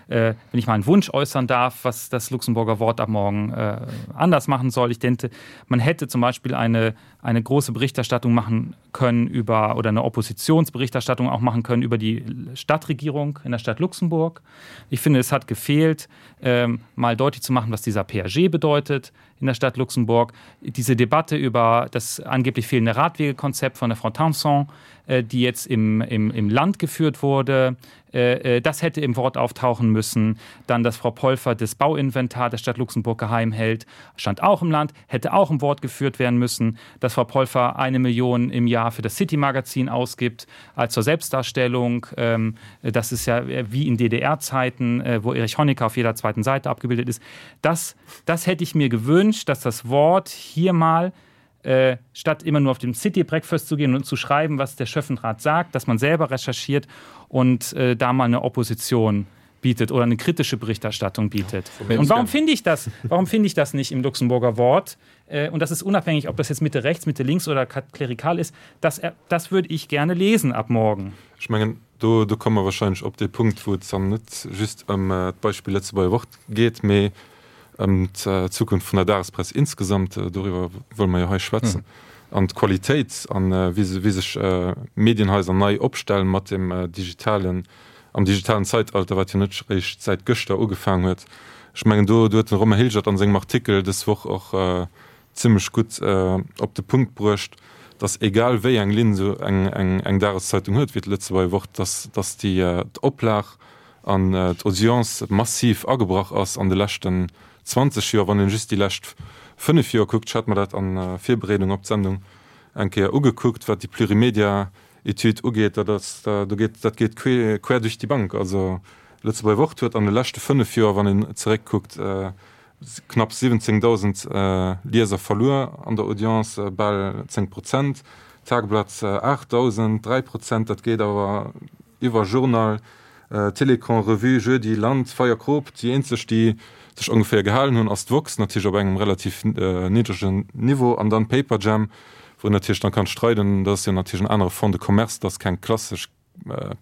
äh, wenn ich mal einen Wunsch äußern darf, was das Luxemburger Wort ab morgen äh, anders machen soll. Ich denke, man hätte zum Beispiel eine, eine große Berichterstattung machen können über oder eine Oppositionsberichterstattung auch machen können über die Stadtregierung in der Stadt Luxemburg. Ich finde, es hat gefehlt, ähm, mal deutlich zu machen, was dieser PAG bedeutet in der Stadt Luxemburg. Diese Debatte über das angeblich fehlende Radwegekonzept von der Frau Thompson, äh, die jetzt im, im, im Land geführt wurde, äh, äh, das hätte im Wort auftauchen müssen. Dann, dass Frau Polfer das Bauinventar der Stadt Luxemburg geheim hält, stand auch im Land, hätte auch im Wort geführt werden müssen. Dass Frau Polfer eine Million im Jahr für das City-Magazin ausgibt, als zur Selbstdarstellung. Ähm, das ist ja wie in DDR-Zeiten, wo Erich Honecker auf jeder zweiten Seite abgebildet ist. Das, das hätte ich mir gewünscht, dass das Wort hier mal äh, statt immer nur auf dem City Breakfast zu gehen und zu schreiben, was der Schöffenrat sagt, dass man selber recherchiert und äh, da mal eine Opposition bietet oder eine kritische Berichterstattung bietet. Und warum finde ich das? Warum finde ich das nicht im Luxemburger Wort? Äh, und das ist unabhängig, ob das jetzt Mitte rechts, Mitte links oder klerikal ist. Das, äh, das würde ich gerne lesen ab morgen. Ich meine, do, do komme mer wahrscheinlech op dee Punkt, wou et dann net just ëm d'Beispill Lëtzebuerger Wort geet, mee ëm d'Zukunft vun der Dagespress insgesamt. Doriwwer wëlle mer jo hei schwätzen. An d'Qualitéit an wéi sech Medienhaiser nei opstellen mat dem digitalen, am digitalen Zeitalter, wat jo net eréischt säit gëschter ugefaangen huet. Ech mengen, do huet de Romain Hilgert an sengem Artikel dës Woch och zimlech gutt op de Punkt bruecht, dass egal wéi eng Linn esou eng Dageszeitung huet wéi d'Lëtzebuerger Wort, dass dass déi d'Oplag an d'Audience massiv agebrach ass an de leschten 20 Joer. Wann een just déi lescht 5 Joer kuckt, ech hat mer dat an Virbereedung op d'Sendung eng Kéier ugekuckt, wat déi Plurimedia Etüd ugeet, dat ass, do geet, dat geet quer durch die Bank. Also. Lëtzebuerger Wort huet an de leschte 5 Joer, wann een zeréckkuckt, knapp 17.000 Lieser verluer an der Audience, bal 10 Prozent. Tageblatt 8.000, 3 Prozent. Dat geet awer iwwer Journal, Télécran, Revue, Jeudi, Land, Feierkrop. Déi eenzeg, déi sech ongeféier gehalen hunn, ass d'woxx, natierlech op engem relativ niddregen Niveau, an dann Paperjam, wou een natierlech dann kann streiden, dat ass jo natierlech en anere Fonds de commerce, dat ass keng klassesch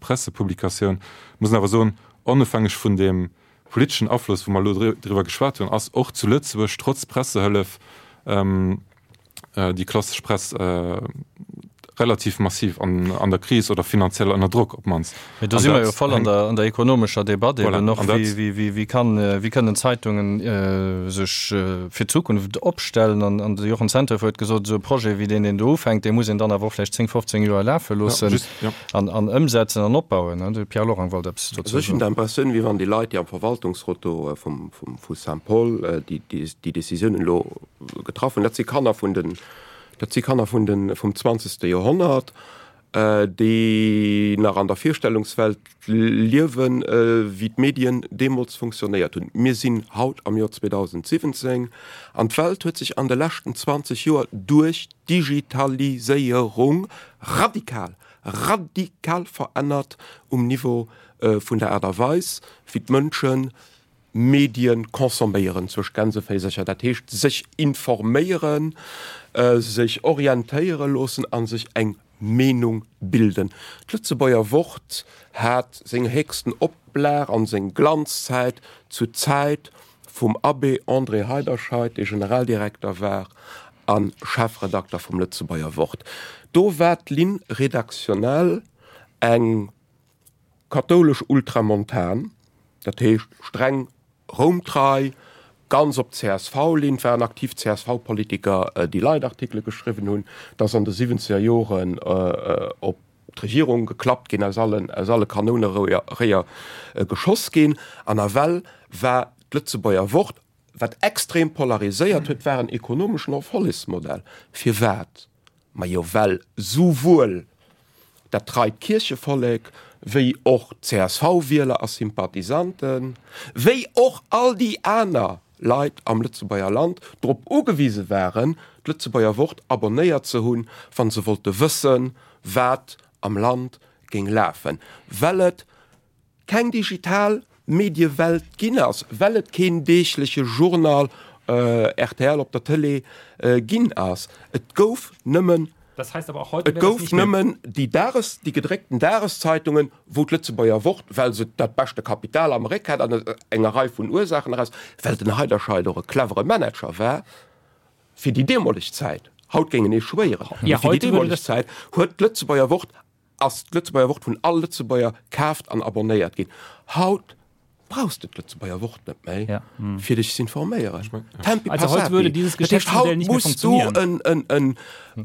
Pressepublikatioun. Muss een awer soen, onofhängeg vun deem politeschen Afloss, wou mer elo driwwer geschwat hunn, ass och zu Lëtzebuerg trotz Pressehëllef déi klassesch Press relativ massiv an der Kris oder finanziell ënner Drock op d'mannst. Mee do si mer jo voll an der, an der ekonomescher Debatt eben och, wéi, wéi, wéi kann, wéi kënnen Zeitungen sech fir d'Zukunft opstellen. An, an de Jochen Zenthöfer huet gesot, esou e Projet wéi deen, deen do ufänkt, dee muss een dann awer och vläicht 10, 15 Joer lafe loossen. An, an ëmsetzen an opbauen. De Pierre Lorang wollt eppes dozou soen. Ech hunn d'Impressioun, wéi wann déi Leit, déi am Verwaltungsrot do vum, vum, vu Saint-Paul déi, déi, déi Décisiounen elo getraff hunn, dat si Kanner vun den, dat si Kanner vun den, vum zwanzegste Joerhonnert, déi nach an der Virstellungswelt liewen, wéi d'Medien deemools funktionéiert hunn. Mir sinn haut am Joer 2017 an d'Welt huet sech an de leschten 20 Joer duerch Digitaliséierung radikal, radikal verännert um Niveau vun der Aart a Weis, wéi d'Mënsche Medien consomméieren, zwëscht Gänseféisercher, dat heescht sech informéieren, sech orientéiere loossen a sech eng Meenung bilden. D'Lëtzebuerger Wort hat seng héchsten Oplag an seng Glanzzäit zur Zäit vum Abbé André Heiderscheid, dee Generaldirekter war a Chefredakter vum Lëtzebuerger Wort. Do war d'Ligne rédactionnelle eng kathoulesch ultramontan, dat heescht streng roumtrei, ganz op d'CSV-Linn, et waren aktiv CSV-Politiker, déi Leitartikele geschriwwen hunn, et ass an de siwwenzeger Joren op d'Regierung geklappt ginn, aus allen, aus alle Kanouneréier geschoss ginn. An nawell war d'Lëtzebuerger Wort, wat extrem polariséiert huet, war en ekonomeschen Erfollegsmodell. Firwat? Majo well souwuel dat treit Kierchevollek wéi och d'CSV-Wieler a Sympathisanten, wéi och all déi aner Leit am Lëtzebuerger Land drop ugewise waren, d'Lëtzebuerger Wort abonnéiert ze hunn, wa se wollte wëssen, wat am Land géing lafen, well et keng digital Mediewelt ginn ass, well et keen deegleche Journal, rtl op der Tëlee, ginn ass. Et gouf nëmmen Et gouf nëmmen déi Dages, déi gedréckten Dageszeitungen, wou d'Lëtzebuerger Wort, well se dat beschte Kapital am Réck hat an aus enger Rei vun Ursaachen eraus, well den Heiderscheid och e clevere Manager war fir déi deemoleg Zäit, haut géing en ee schwéieren, mee fir déi deemoleg Zäit huet d'Lëtzebuerger Wort, ass d'Lëtzebuerger Wort vun all Lëtzebuerger kaaft an abonnéiert ginn. Haut brauchs de d'Lëtzebuerger Wort net méi, fir dech z'informéieren. Tempi passati. Dat heescht, haut muss du en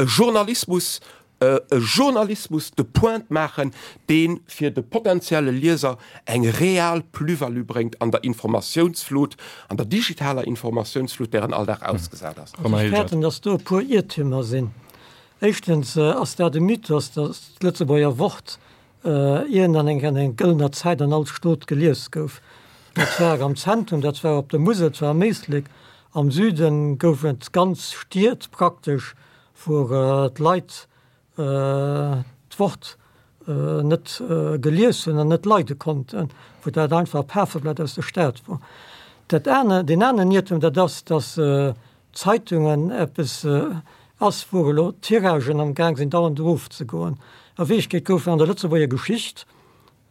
Journalismus, e Journalismus de pointe maachen, dee fir de potenzielle Lieser eng real Plus-value bréngt an der Informatiounsflut, an der digitaler Informatiounsflut, där en all Dag ausgesat ass. Ech fäerten, datt do e puer Iertümer sinn. Éischtens ass dat e Mythos, datt d'Lëtzebuerger Wort Iergend an eng an eng gëllener Zäit an all Stot gelies gouf. Dat war am Zentrum, dat war op der Musel, dat war am Éislek. Am Süden gouf et ganz Stied praktesch, wou d'Leit d'Wort net gelies hunn an net leide konnten, wou dat einfach e Pafeblat aus der Stad wor. Dat aner, deen aneren Iertum, dat ass, datt Zeitungen eppes ass, wou elo d'Tiragen am Gaang sinn dauernd erofzegoen. A Wierklechkeet goufen an der Lëtzebuerger Geschicht,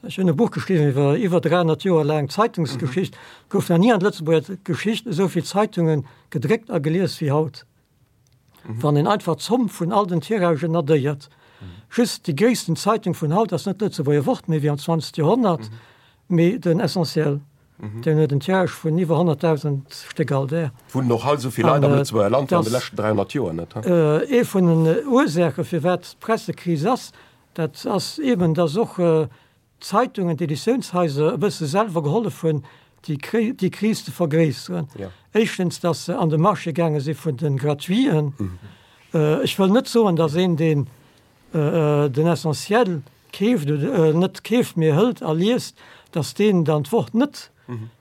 ech hunn e Buch geschriwwen iwwer iwwer 300 Joer laang Zeitungsgeschicht, goufen nach ni an der Lëtzebuerger Geschicht esou vill Zeitunge gedréckt a gelies wéi haut. Wann een einfach d'Zomm vun all den Tiragen addéiert. Just déi gréissten Zeitung vun haut ass net d'Lëtzebuerger Wort méi wéi am 20. Joerhonnert, mee den Essentiel. Deen huet en Tirage vun iwwer 100.000 Stéck all Dag. Wunnen och hei esou vill Leit am Lëtzebuerger Land wéi an de leschten 300 Joer net, he? Ee vun den Ursaache firwat d'Pressekris ass, dat ass eben, datt och d'Zeitungen, d'Editiounshaiser e bësse selwer gehollef hunn, déi Kris ze vergréisseren. Éischtens, datt se an de Marché gaange si vun de Gratuiten. Ech wëll net soen, datt een, deen den Essentiel keeft oder net keeft, mee hëlt a liest, datt deen dann d'Wort net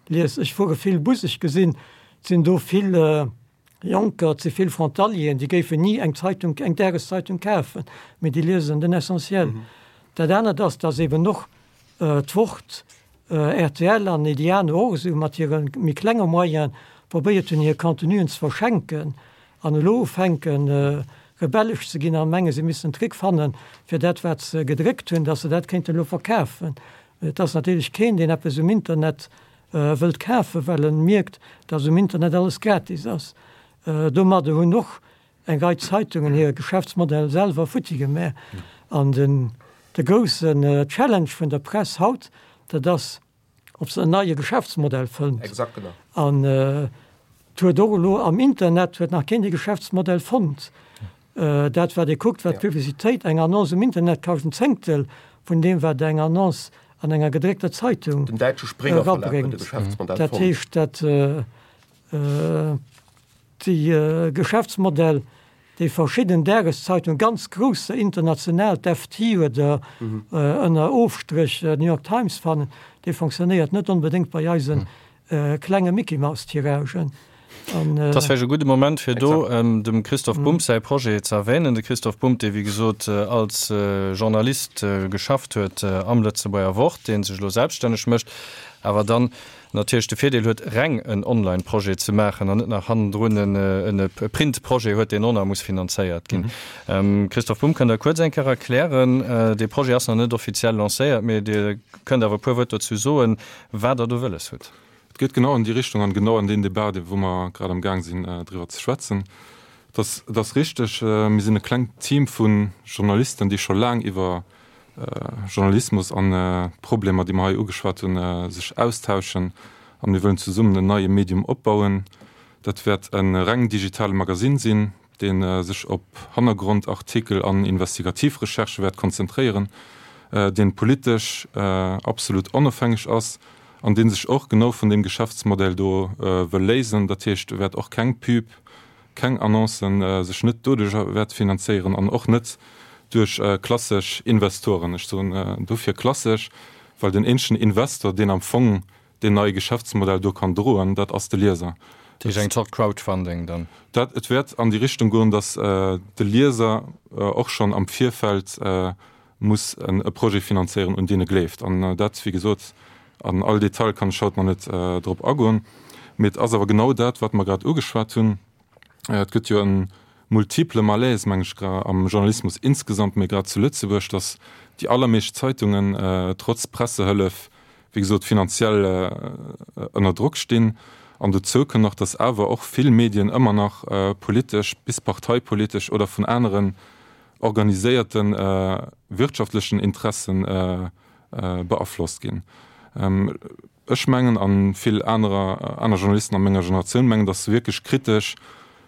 liest. Ech fuere vill Bus, ech gesinn, et sinn do vill Jonker, et si vill Frontalieren, déi géifen ni eng Zeitung, eng Dageszeitung kafen, mee déi liesen den Essentiel. Dat anert ass, datt eben och d'Wort, rtl an Ediano och esou mat hire méi klenge Moyene probéiert hunn, hir Contenuen ze verschenken an elo ufänken, rebellesch ze ginn a menge se missten Trick fannen, fir dat, wat se gedréckt hunn, datt se dat kéinten elo verkafen. Et ass natierlech keen, deen eppes um Internet wëllt kafen, well en mierkt, datt um Internet alles gratis ass. Domadder hunn och eng Rei Zeitungen hire Geschäftsmodell selwer futti gemaach. An den de groussen Challenge vun der Press haut, dat ass, ob se en neie Geschäftsmodell fënnt. Exakt, genau. An et huet och elo am Internet huet nach keen dee Geschäftsmodell fonnt. Dat wat ee kuckt, wat d'Publicitéit, eng Annonce um Internet kascht en Zéngtel vun deem wat eng Annonce an enger gedréckter Zeitung Den däitsche Springer Verlag huet de Geschäftsmodell fonnt. Dat heescht, dat Déi Geschäftsmodell, déi verschidden Dageszeitungen, ganz grousser international, d'FT oder ënner Ofstréch d'New York Times fannen, dee fonctionnéiert net onbedéngt bei eise klenge Mickey-Maus-Tiragen. Et ass vläicht e gudde Moment, fir do dem Christoph Bumb säi Projet ze erwänen. De Christoph Bumb, dee wéi gesot als Journalist geschafft huet am Lëtzebuerger Wort, dee sech elo selbststänneg mécht, awer dann natierlech de Virdeel huet, reng en Online-Projet ze maachen an net nach hannendrun en Print-Projet huet, deen och nach muss finanzéiert ginn. Christoph Bumb, kënnt Der kuerz eng Kéier erklären, dee Projet ass nach net offiziell lancéiert, mee Dir kënnt awer e puer Wuert dozou soen, wat Der do wëlles hutt. Et geet genau an déi Richtung an genau an deen Debat, dee wou mer grad am Gaang sinn driwwer ze schwätzen. Et ass, et ass richteg, mir sinn e klengt Team vu Journalisten, déi scho laang iwwer Journalismus an d'Problemer, déi mer hei ugeschwat hunn, sech austauschen an mir wëllen zesummen en neie Medium opbauen. Dat wäert e reng digitale Magasinn sinn, dee sech op Hannergrondartikel an investigativ Recherchë wäert konzentréieren, dee politesch absolut onofhängeg ass an dee sech och genau vun deem Geschäftsmodell do wëll léisen. Dat heescht, e wäert och keng Pub keng Annoncen, sech net doduerch wäert finanzéieren an och net duerch klassesch Investoren. Ech soen dofir klassesch, well den eenzegen Investor, deen am Fong deen neie Geschäftsmodell do kann droen, dat ass de Lieser. Dat heescht eng Zort Crowdfunding dann? Dat, et wäert an déi Richtung goen, datt de Lieser och schonn am Virfeld muss e Projet finanzéieren, un deen e gleeft. An dat, wéi gesot, an all Detail kann ech haut nach net drop agoen, mee et ass awer genau dat, wat mer grad ugeschwat hunn. Et gëtt jo e multiple Malaise, meng ech, am Journalismus insgesamt, mee grad zu Lëtzebuerg, datt déi allermeescht Zeitungen trotz Pressehëllef, wéi gesot, finanziell ënner Drock stinn. An dozou kënn nach, datt awer och vill Medien ëmmer nach politesch bis parteipolitesch oder vun aneren organiséierte wirtschaftlechen Interessen beaflosst ginn. Ech mengen, a vill anerer aner Journalisten a menger Generatioun mengen, datt wierklech kritesch,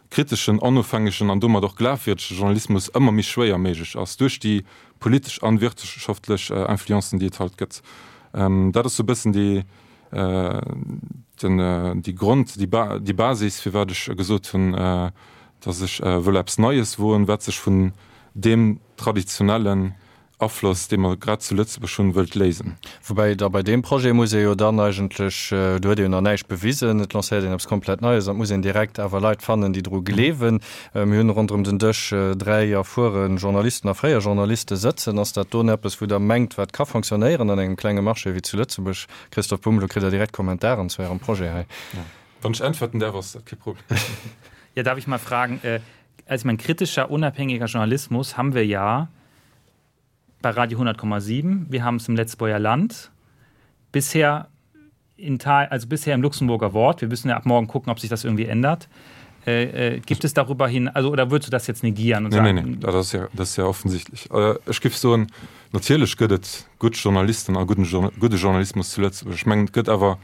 kriteschen, onofhängegen an domat och glafwierdege Journalismus ëmmer méi schwéier méiglech ass duerch déi politesch an wirtschaftlech Influencen, déi et halt gëtt. Dat ass sou e bëssen déi, den, déi Grond, déi Basis, firwat ech gesot hunn, datt ech wëll eppes Neies woen, wat sech vun deem traditionellen Afloss, dee mer grad zu Lëtzebuerg hunn, wëllt léisen. Woubäi da bei deem Projet muss ee jo dann eigentlech, do huet ee jo nach näischt bewisen, et lancéiert een eppes komplett Neies an et muss een direkt awer Leit fannen, déi dru gleewen. Mir hunn ronderëm den Dësch 3 erfuere Journalisten a fréier Journaliste sëtzen. Ass dat don eppes, wou Der mengt, wat ka fonctionnéieren an engem klenge Marché wéi zu Lëtzebuerg? Christophe Bumb, elo kritt Der direkt Kommentaren zu Ärem Projet hei. Wann ech äntwerten därf, ass dat kee Problem. Ja, darf ich mal fragen, also ich mein, kritischer, unabhängiger Journalismus haben wir ja bei Radio 100,7, wir haben es im Letzboyer Land, bisher in Teil, also bisher im Luxemburger Wort, wir müssen ja ab morgen gucken, ob sich das irgendwie ändert. Äh, äh, gibt es darüber hin, also oder würdest du das jetzt negieren und nee, sagen? Nee, nee, das ist ja, das ist ja offensichtlich. Äh, ech géif soen, natierlech gëtt et gutt Journalisten a gudden, gudde Journalismus zu Lëtzebuerg. Ech mengen, et gëtt awer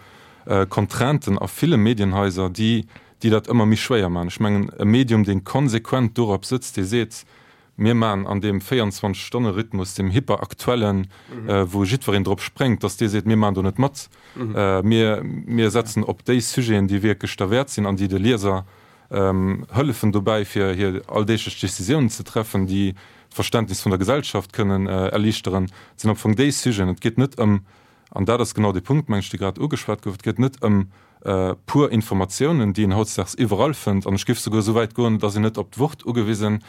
Contrainten a ville Medienhaiser, déi, déi dat ëmmer méi schwéier maachen. Ech mengen, e Medium, dee konsequent dorop sëtzt, dee seet, mir maachen an deem 24-Stonne-Rhythmus, deem hyperaktuellen, wou jiddwereen drop spréngt, datt dee seet, mir maachen do net mat, mir, mir setzen op déi Sujeten, déi wierklech derwäert sinn an déi de Lieser hëllefen dobäi, fir hir alldeeglech Décisiounen ze treffen, déi d'Verständnis vun der Gesellschaft kënnen erliichteren. Et sinn am Fong déi Sujeten. Et geet net ëm. An dat ass genau dee Punkt, meng ech, dee grad ugeschwat gouf, Et geet net ëm pur Informatiounen, déi een hautdesdaags iwwerall fënnt. An ech géif souguer esou wäit goen, et ass een net op d'Wort ugewisen,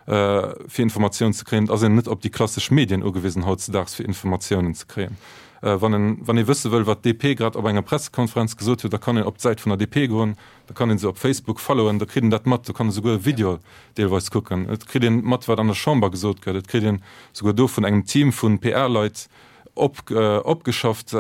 fir Informatiounen ze kréien. Et ass een net op déi klassesch Medien ugewisen hautzedaags, fir Informatiounen ze kréien. Wann en, wann ee wësse wëll, wat d'DP grad op enger Pressekonferenz gesot huet, da kann een op d'Säit vun der DP goen, da kann ee se op Facebook followen, da kritt een dat mat. Do kann ee souguer e Video deelweis kucken. Et kritt een mat, wat an der Chamber gesot gëtt. Et kritt een souguer do vun engem Team vu PR-Leit op, opgeschafft,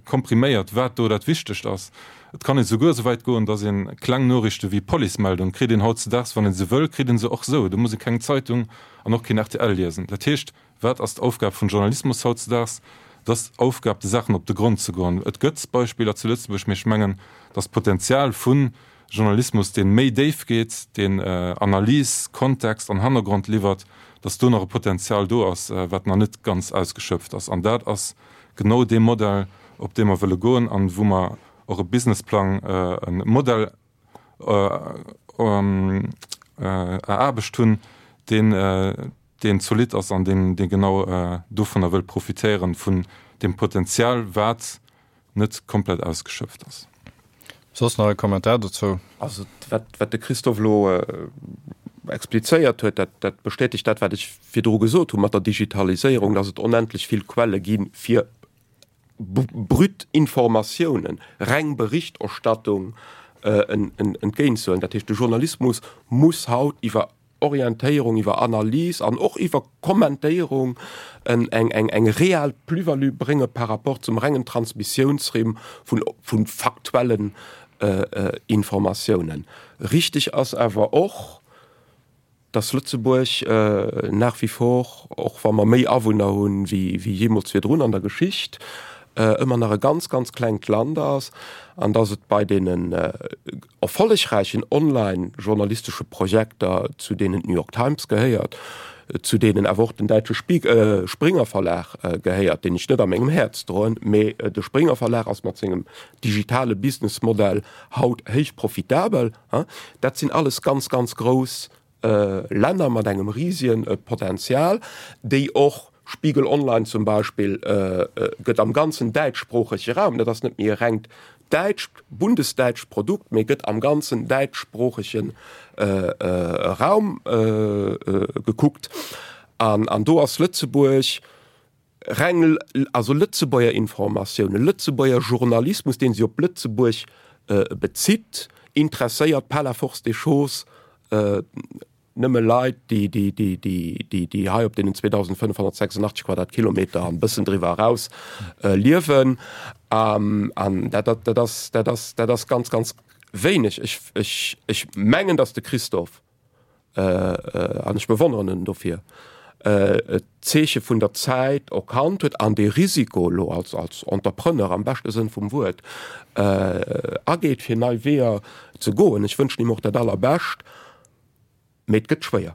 kompriméiert, wat do dat Wichtegt ass. Et kann ee souguer esou wäit goen, datt ee kleng Noriichte wéi Policemeldung kritt een hautzedaags, wann ee se wëll, kritt ee se och esou. Do muss ee keng Zeitung an och keen rtl liesen. Dat heescht, wat ass d'Aufgab vum Journalismus hautzedaags? Et ass d'Aufgab, de Saachen op de Grond ze goen. Et gëtt Beispiller zu Lëtzebuerg, mee ech mengen, datt d'Potenzial vu Journalismus, dee méi déif geet, deen Analys, Kontext an Hannergrond liwwert, datt do nach e Potenzial do ass, wat nach net ganz ausgeschöpft ass. An dat ass genau dee Modell, op dee mer wëlle goen an wou mer och e Businessplang, e Modell eraarbecht hunn, deen, deen zolidd ass an deen, dee genau dovunner wëll profitéieren, vun deem Potenzial, wat net komplett ausgeschöpft ass. Soss nach e Kommentar dozou? Also wat, wat de Christophe elo explizéiert huet, dat, dat bestätegt dat, wat ech virdru gesot hu mat der Digitaliséierung, dass et onendlech vill Quelle gi fir brut Informatiounen, reng Berichterstattung entgéintzehuelen. Dat heescht, de Journalismus muss haut iwwer Orientéierung, iwwer Analys an och iwwer Kommentéierung eng real Plus-value brénge par rapport zum rengen Transmissiounsrimm vu faktuellen Informatiounen. Richteg ass awer och, dass Lëtzebuerg nach wie vor, och wa mer méi Awunner hunn wéi jeemools virdrun an der Geschicht, ëmmer nach e ganz, ganz klengt Land ass an dass et bei deenen erfollegräichen online-journalistesche Projekter, zu deenen d'New York Times gehéiert, zu deenen awer och den däitsche Springer Verlag gehéiert, deen ech net a mengem Häerz droen, mee de Springer Verlag ass mat sengem digitale Businessmodell haut héich profitabel. Dat sinn alles ganz, ganz grouss Länner mat engem risien Potenzial, déi och, Spiegel Online zum Beispill gëtt am ganzen däitschsproochege Raum, dat ass net méi e rengt däitscht, bundesdäitscht Produkt, mee gëtt am ganzen däitschsproochege Raum gekuckt. An do ass Lëtzebuerg reng, also Lëtzebuerger Informatiounen, Lëtzebuerger Journalismus, dee sech op Lëtzebuerg bezitt, interesséiert par la force des choses nëmme Leit, déi, déi, déi, déi, déi, déi hei op deenen 2.586 Quadratkilometer an e bëssen driwwer eraus liewen. An dat, dat, dat ass, dat ass, dat ass ganz, ganz wéineg. Ech, ech, ech mengen, datt de Christophe an ech bewonneren en dofir, d'Zeeche vun der Zäit erkannt huet an dee Risiko elo als, als Entrepreneur am beschte Sënn vum Wuert ageet, fir nei Weeër ze goen. Ech wënschen him och dat Allerbescht, mee et gëtt schwéier.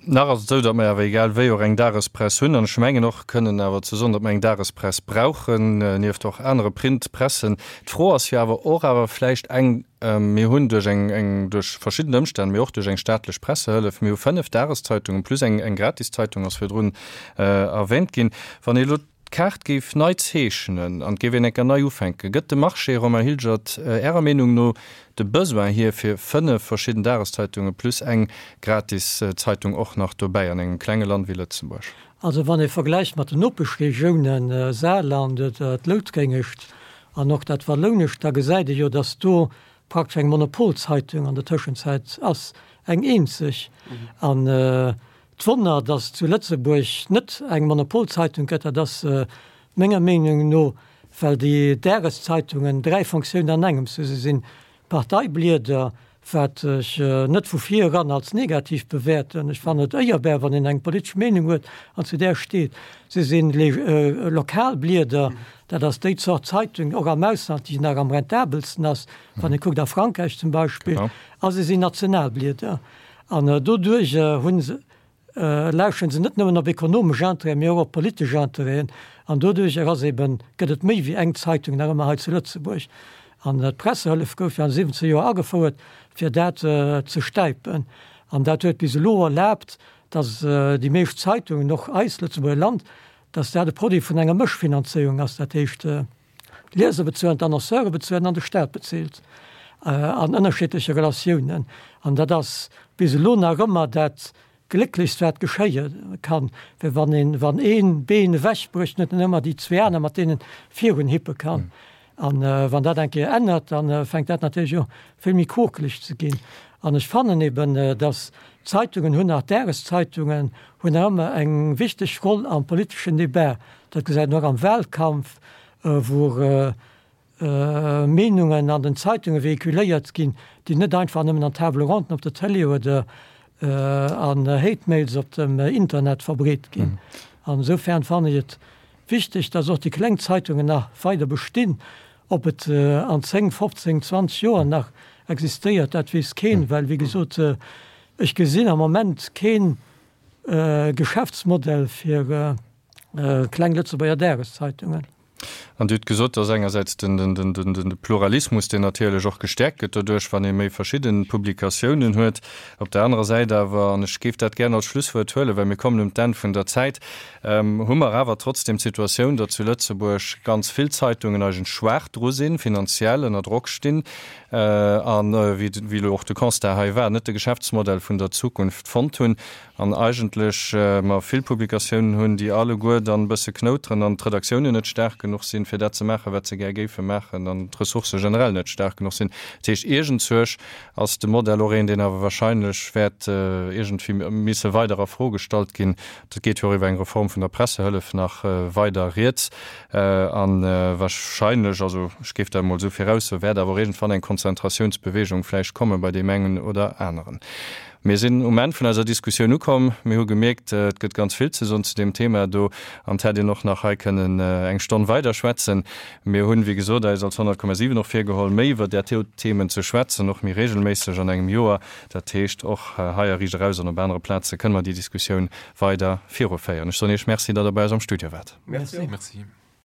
Nach ass et esou, datt mer awer egal wéi och eng Dagespress hunn an ech mengen och kënnen awer ze soen, datt mer eng Dagespress brauchen, nieft och anere Printpressen. D'Fro ass jo awer och awer vläicht eng, Mir hunn duerch eng, eng, duerch verschidden Ëmstänn, mee och duerch eng staatlech Pressehëllef, mir hu 5 Dageszeitungen plus eng, eng Gratiszeitung ass virdrun erwähnt ginn. Wann ee elo d'Kaart géif nei zeechnen an et géif een eng Kéier nei ufänken, gëtt de Marché, Romain Hilgert, Ärer Meenung no de Besoin hier fir 5 verschidden Dageszeitungen plus eng Gratiszeitung och nach dobäi an engem klenge Land wéi Lëtzebuerg? Also wann ee vergläicht mat den Nopeschregiounen, Saarland oder d'Loutréngescht, An och dat Wallounescht, da gesäit ee jo, datt do praktesch eng Monopolzeitung an der Tëschenzäit ass, eng eenzeg. An d'Wonner, datt zu Lëtzebuerg net eng Monopolzeitung gëtt, dat ass menger Meenung no, well déi Dageszeitungen 3 Fonctiounen an engems hu. Se sinn Parteiblieder, wat ech net vu vir eran als negativ bewäerten. Ech fannen et éierbar, wann een eng politesch Meenung huet an zu där steet. Se si Lokalblieder, dat ass déi Zort Zeitung, och am Ausland, déi nach am rentabelsten ass, wann ee kuckt a Frankräich zum Beispill. A se sinn Nationalblieder. An doduerjer hu se lauschteren se net nëmmen op ekonomesch Intérêten, mee och op politesch Intérêten. An doduerjer ass eben, gëtt et méi wéi eng Zeitung nach ëmmer hei zu Lëtzebuerg. An d'Pressehëllef gouf jo an de 70 Joer agefouert, fir dat ze stäipen. An dat huet bis elo erlaabt, datt déi meescht Zeitungen, och eis, Lëtzebuerger Land, dass dat e Produit vun enger Mëschfinanzéierung ass, dat heescht d'Lieser bezuelen, d'Annonceuren bezuelen an de Staat bezilt an ënnerschiddleche Relatiounen. An dat ass bis elo nach ëmmer dat Glécklechst wat geschéie kann, well wann een, wann ee Been ewechbrécht, huet en ëmmer déi zwee aner mat deenen virun hippe kann. An wann dat eng Kéier ännert, da fänkt dat natierlech u vill méi quokeleg ze ginn. An ech fannen eben, datt d'Zeitungen hunn nach, d'Dageszeitungen hunn nach ëmmer eng wichteg Roll am politeschen Debat. Dat gesäit een och am Wahlkampf, wou Meenungen an den Zeitunge vehiculéiert ginn, déi net einfach nëmmen an Table ronden op der Télé oder an Hate Mails op dem Internet verbreet ginn. An esoufern fannen ech et wichteg, dass och déi kleng Zeitungen nach weider bestinn. Ob et an 10, 15, 20 Joer nach existéiert, dat weess keen, well wéi gesot, ech gesinn am Moment kee Geschäftsmodell fir kleng Lëtzebuerger Dageszeitungen. An Dir hutt gesot, dass engersäits de Pluralismus, deen natierlech och gestäerkt gëtt doduerch, wann ee méi verschidde Publikatiounen huet. Op der anerer Säit awer, an ech géif dat gären als Schlusswuert huelen, well mir kommen un d'Enn vun der Zäit, hu mer awer trotzdem d'Situatioun, datt zu Lëtzebuerg ganz vill Zeitungen eigentlech schwaach dru sinn, finanziell ënner Drock stinn an, wéi elo och de Constat hei war, net de Geschäftsmodell vun der Zukunft fonnt hunn. An eigentlech mer vill Publikatiounen hunn, déi alleguer dann e bësse knouteren an d'Redaktiounen net staark genuch sinn, fir dat ze maachen, wat se gär géife maachen, an d'Ressourcë generell net staark genuch sinn. Dat heescht, iergendzuerch ass de Modell och een, deen awer wahrscheinlech wäert iergendwéi misse weider a Fro gestallt ginn. Dat geet jo och iwwer eng Reform vun der Pressehëllef nach weider rieds. A wahrscheinlech, also ech géif dat emol esou viraussoen, wäert awer och iergendwann eng Konzentratiounsbewegung vläicht komme bei deem engen oder aneren. Mir sinn um Enn vun eiser Diskussioun ukomm. Mir hu gemierkt, et gëtt ganz vill ze soen zu deem Thema do an et hätt een och nach hei kënnen eng Stonn weider schwätzen. Mir hunn, wéi gesot, eis als 100,7 och virgeholl, méi iwwer där Themen ze schwätzen, och méi regelméisseg an engem Joer. Dat heescht, och hei a Riicht Eraus an op anere Plaze kënne mer déi Diskussioun weider viruféieren. Ech soen Iech Merci, datt Der bei eis am Studio waart. Merci.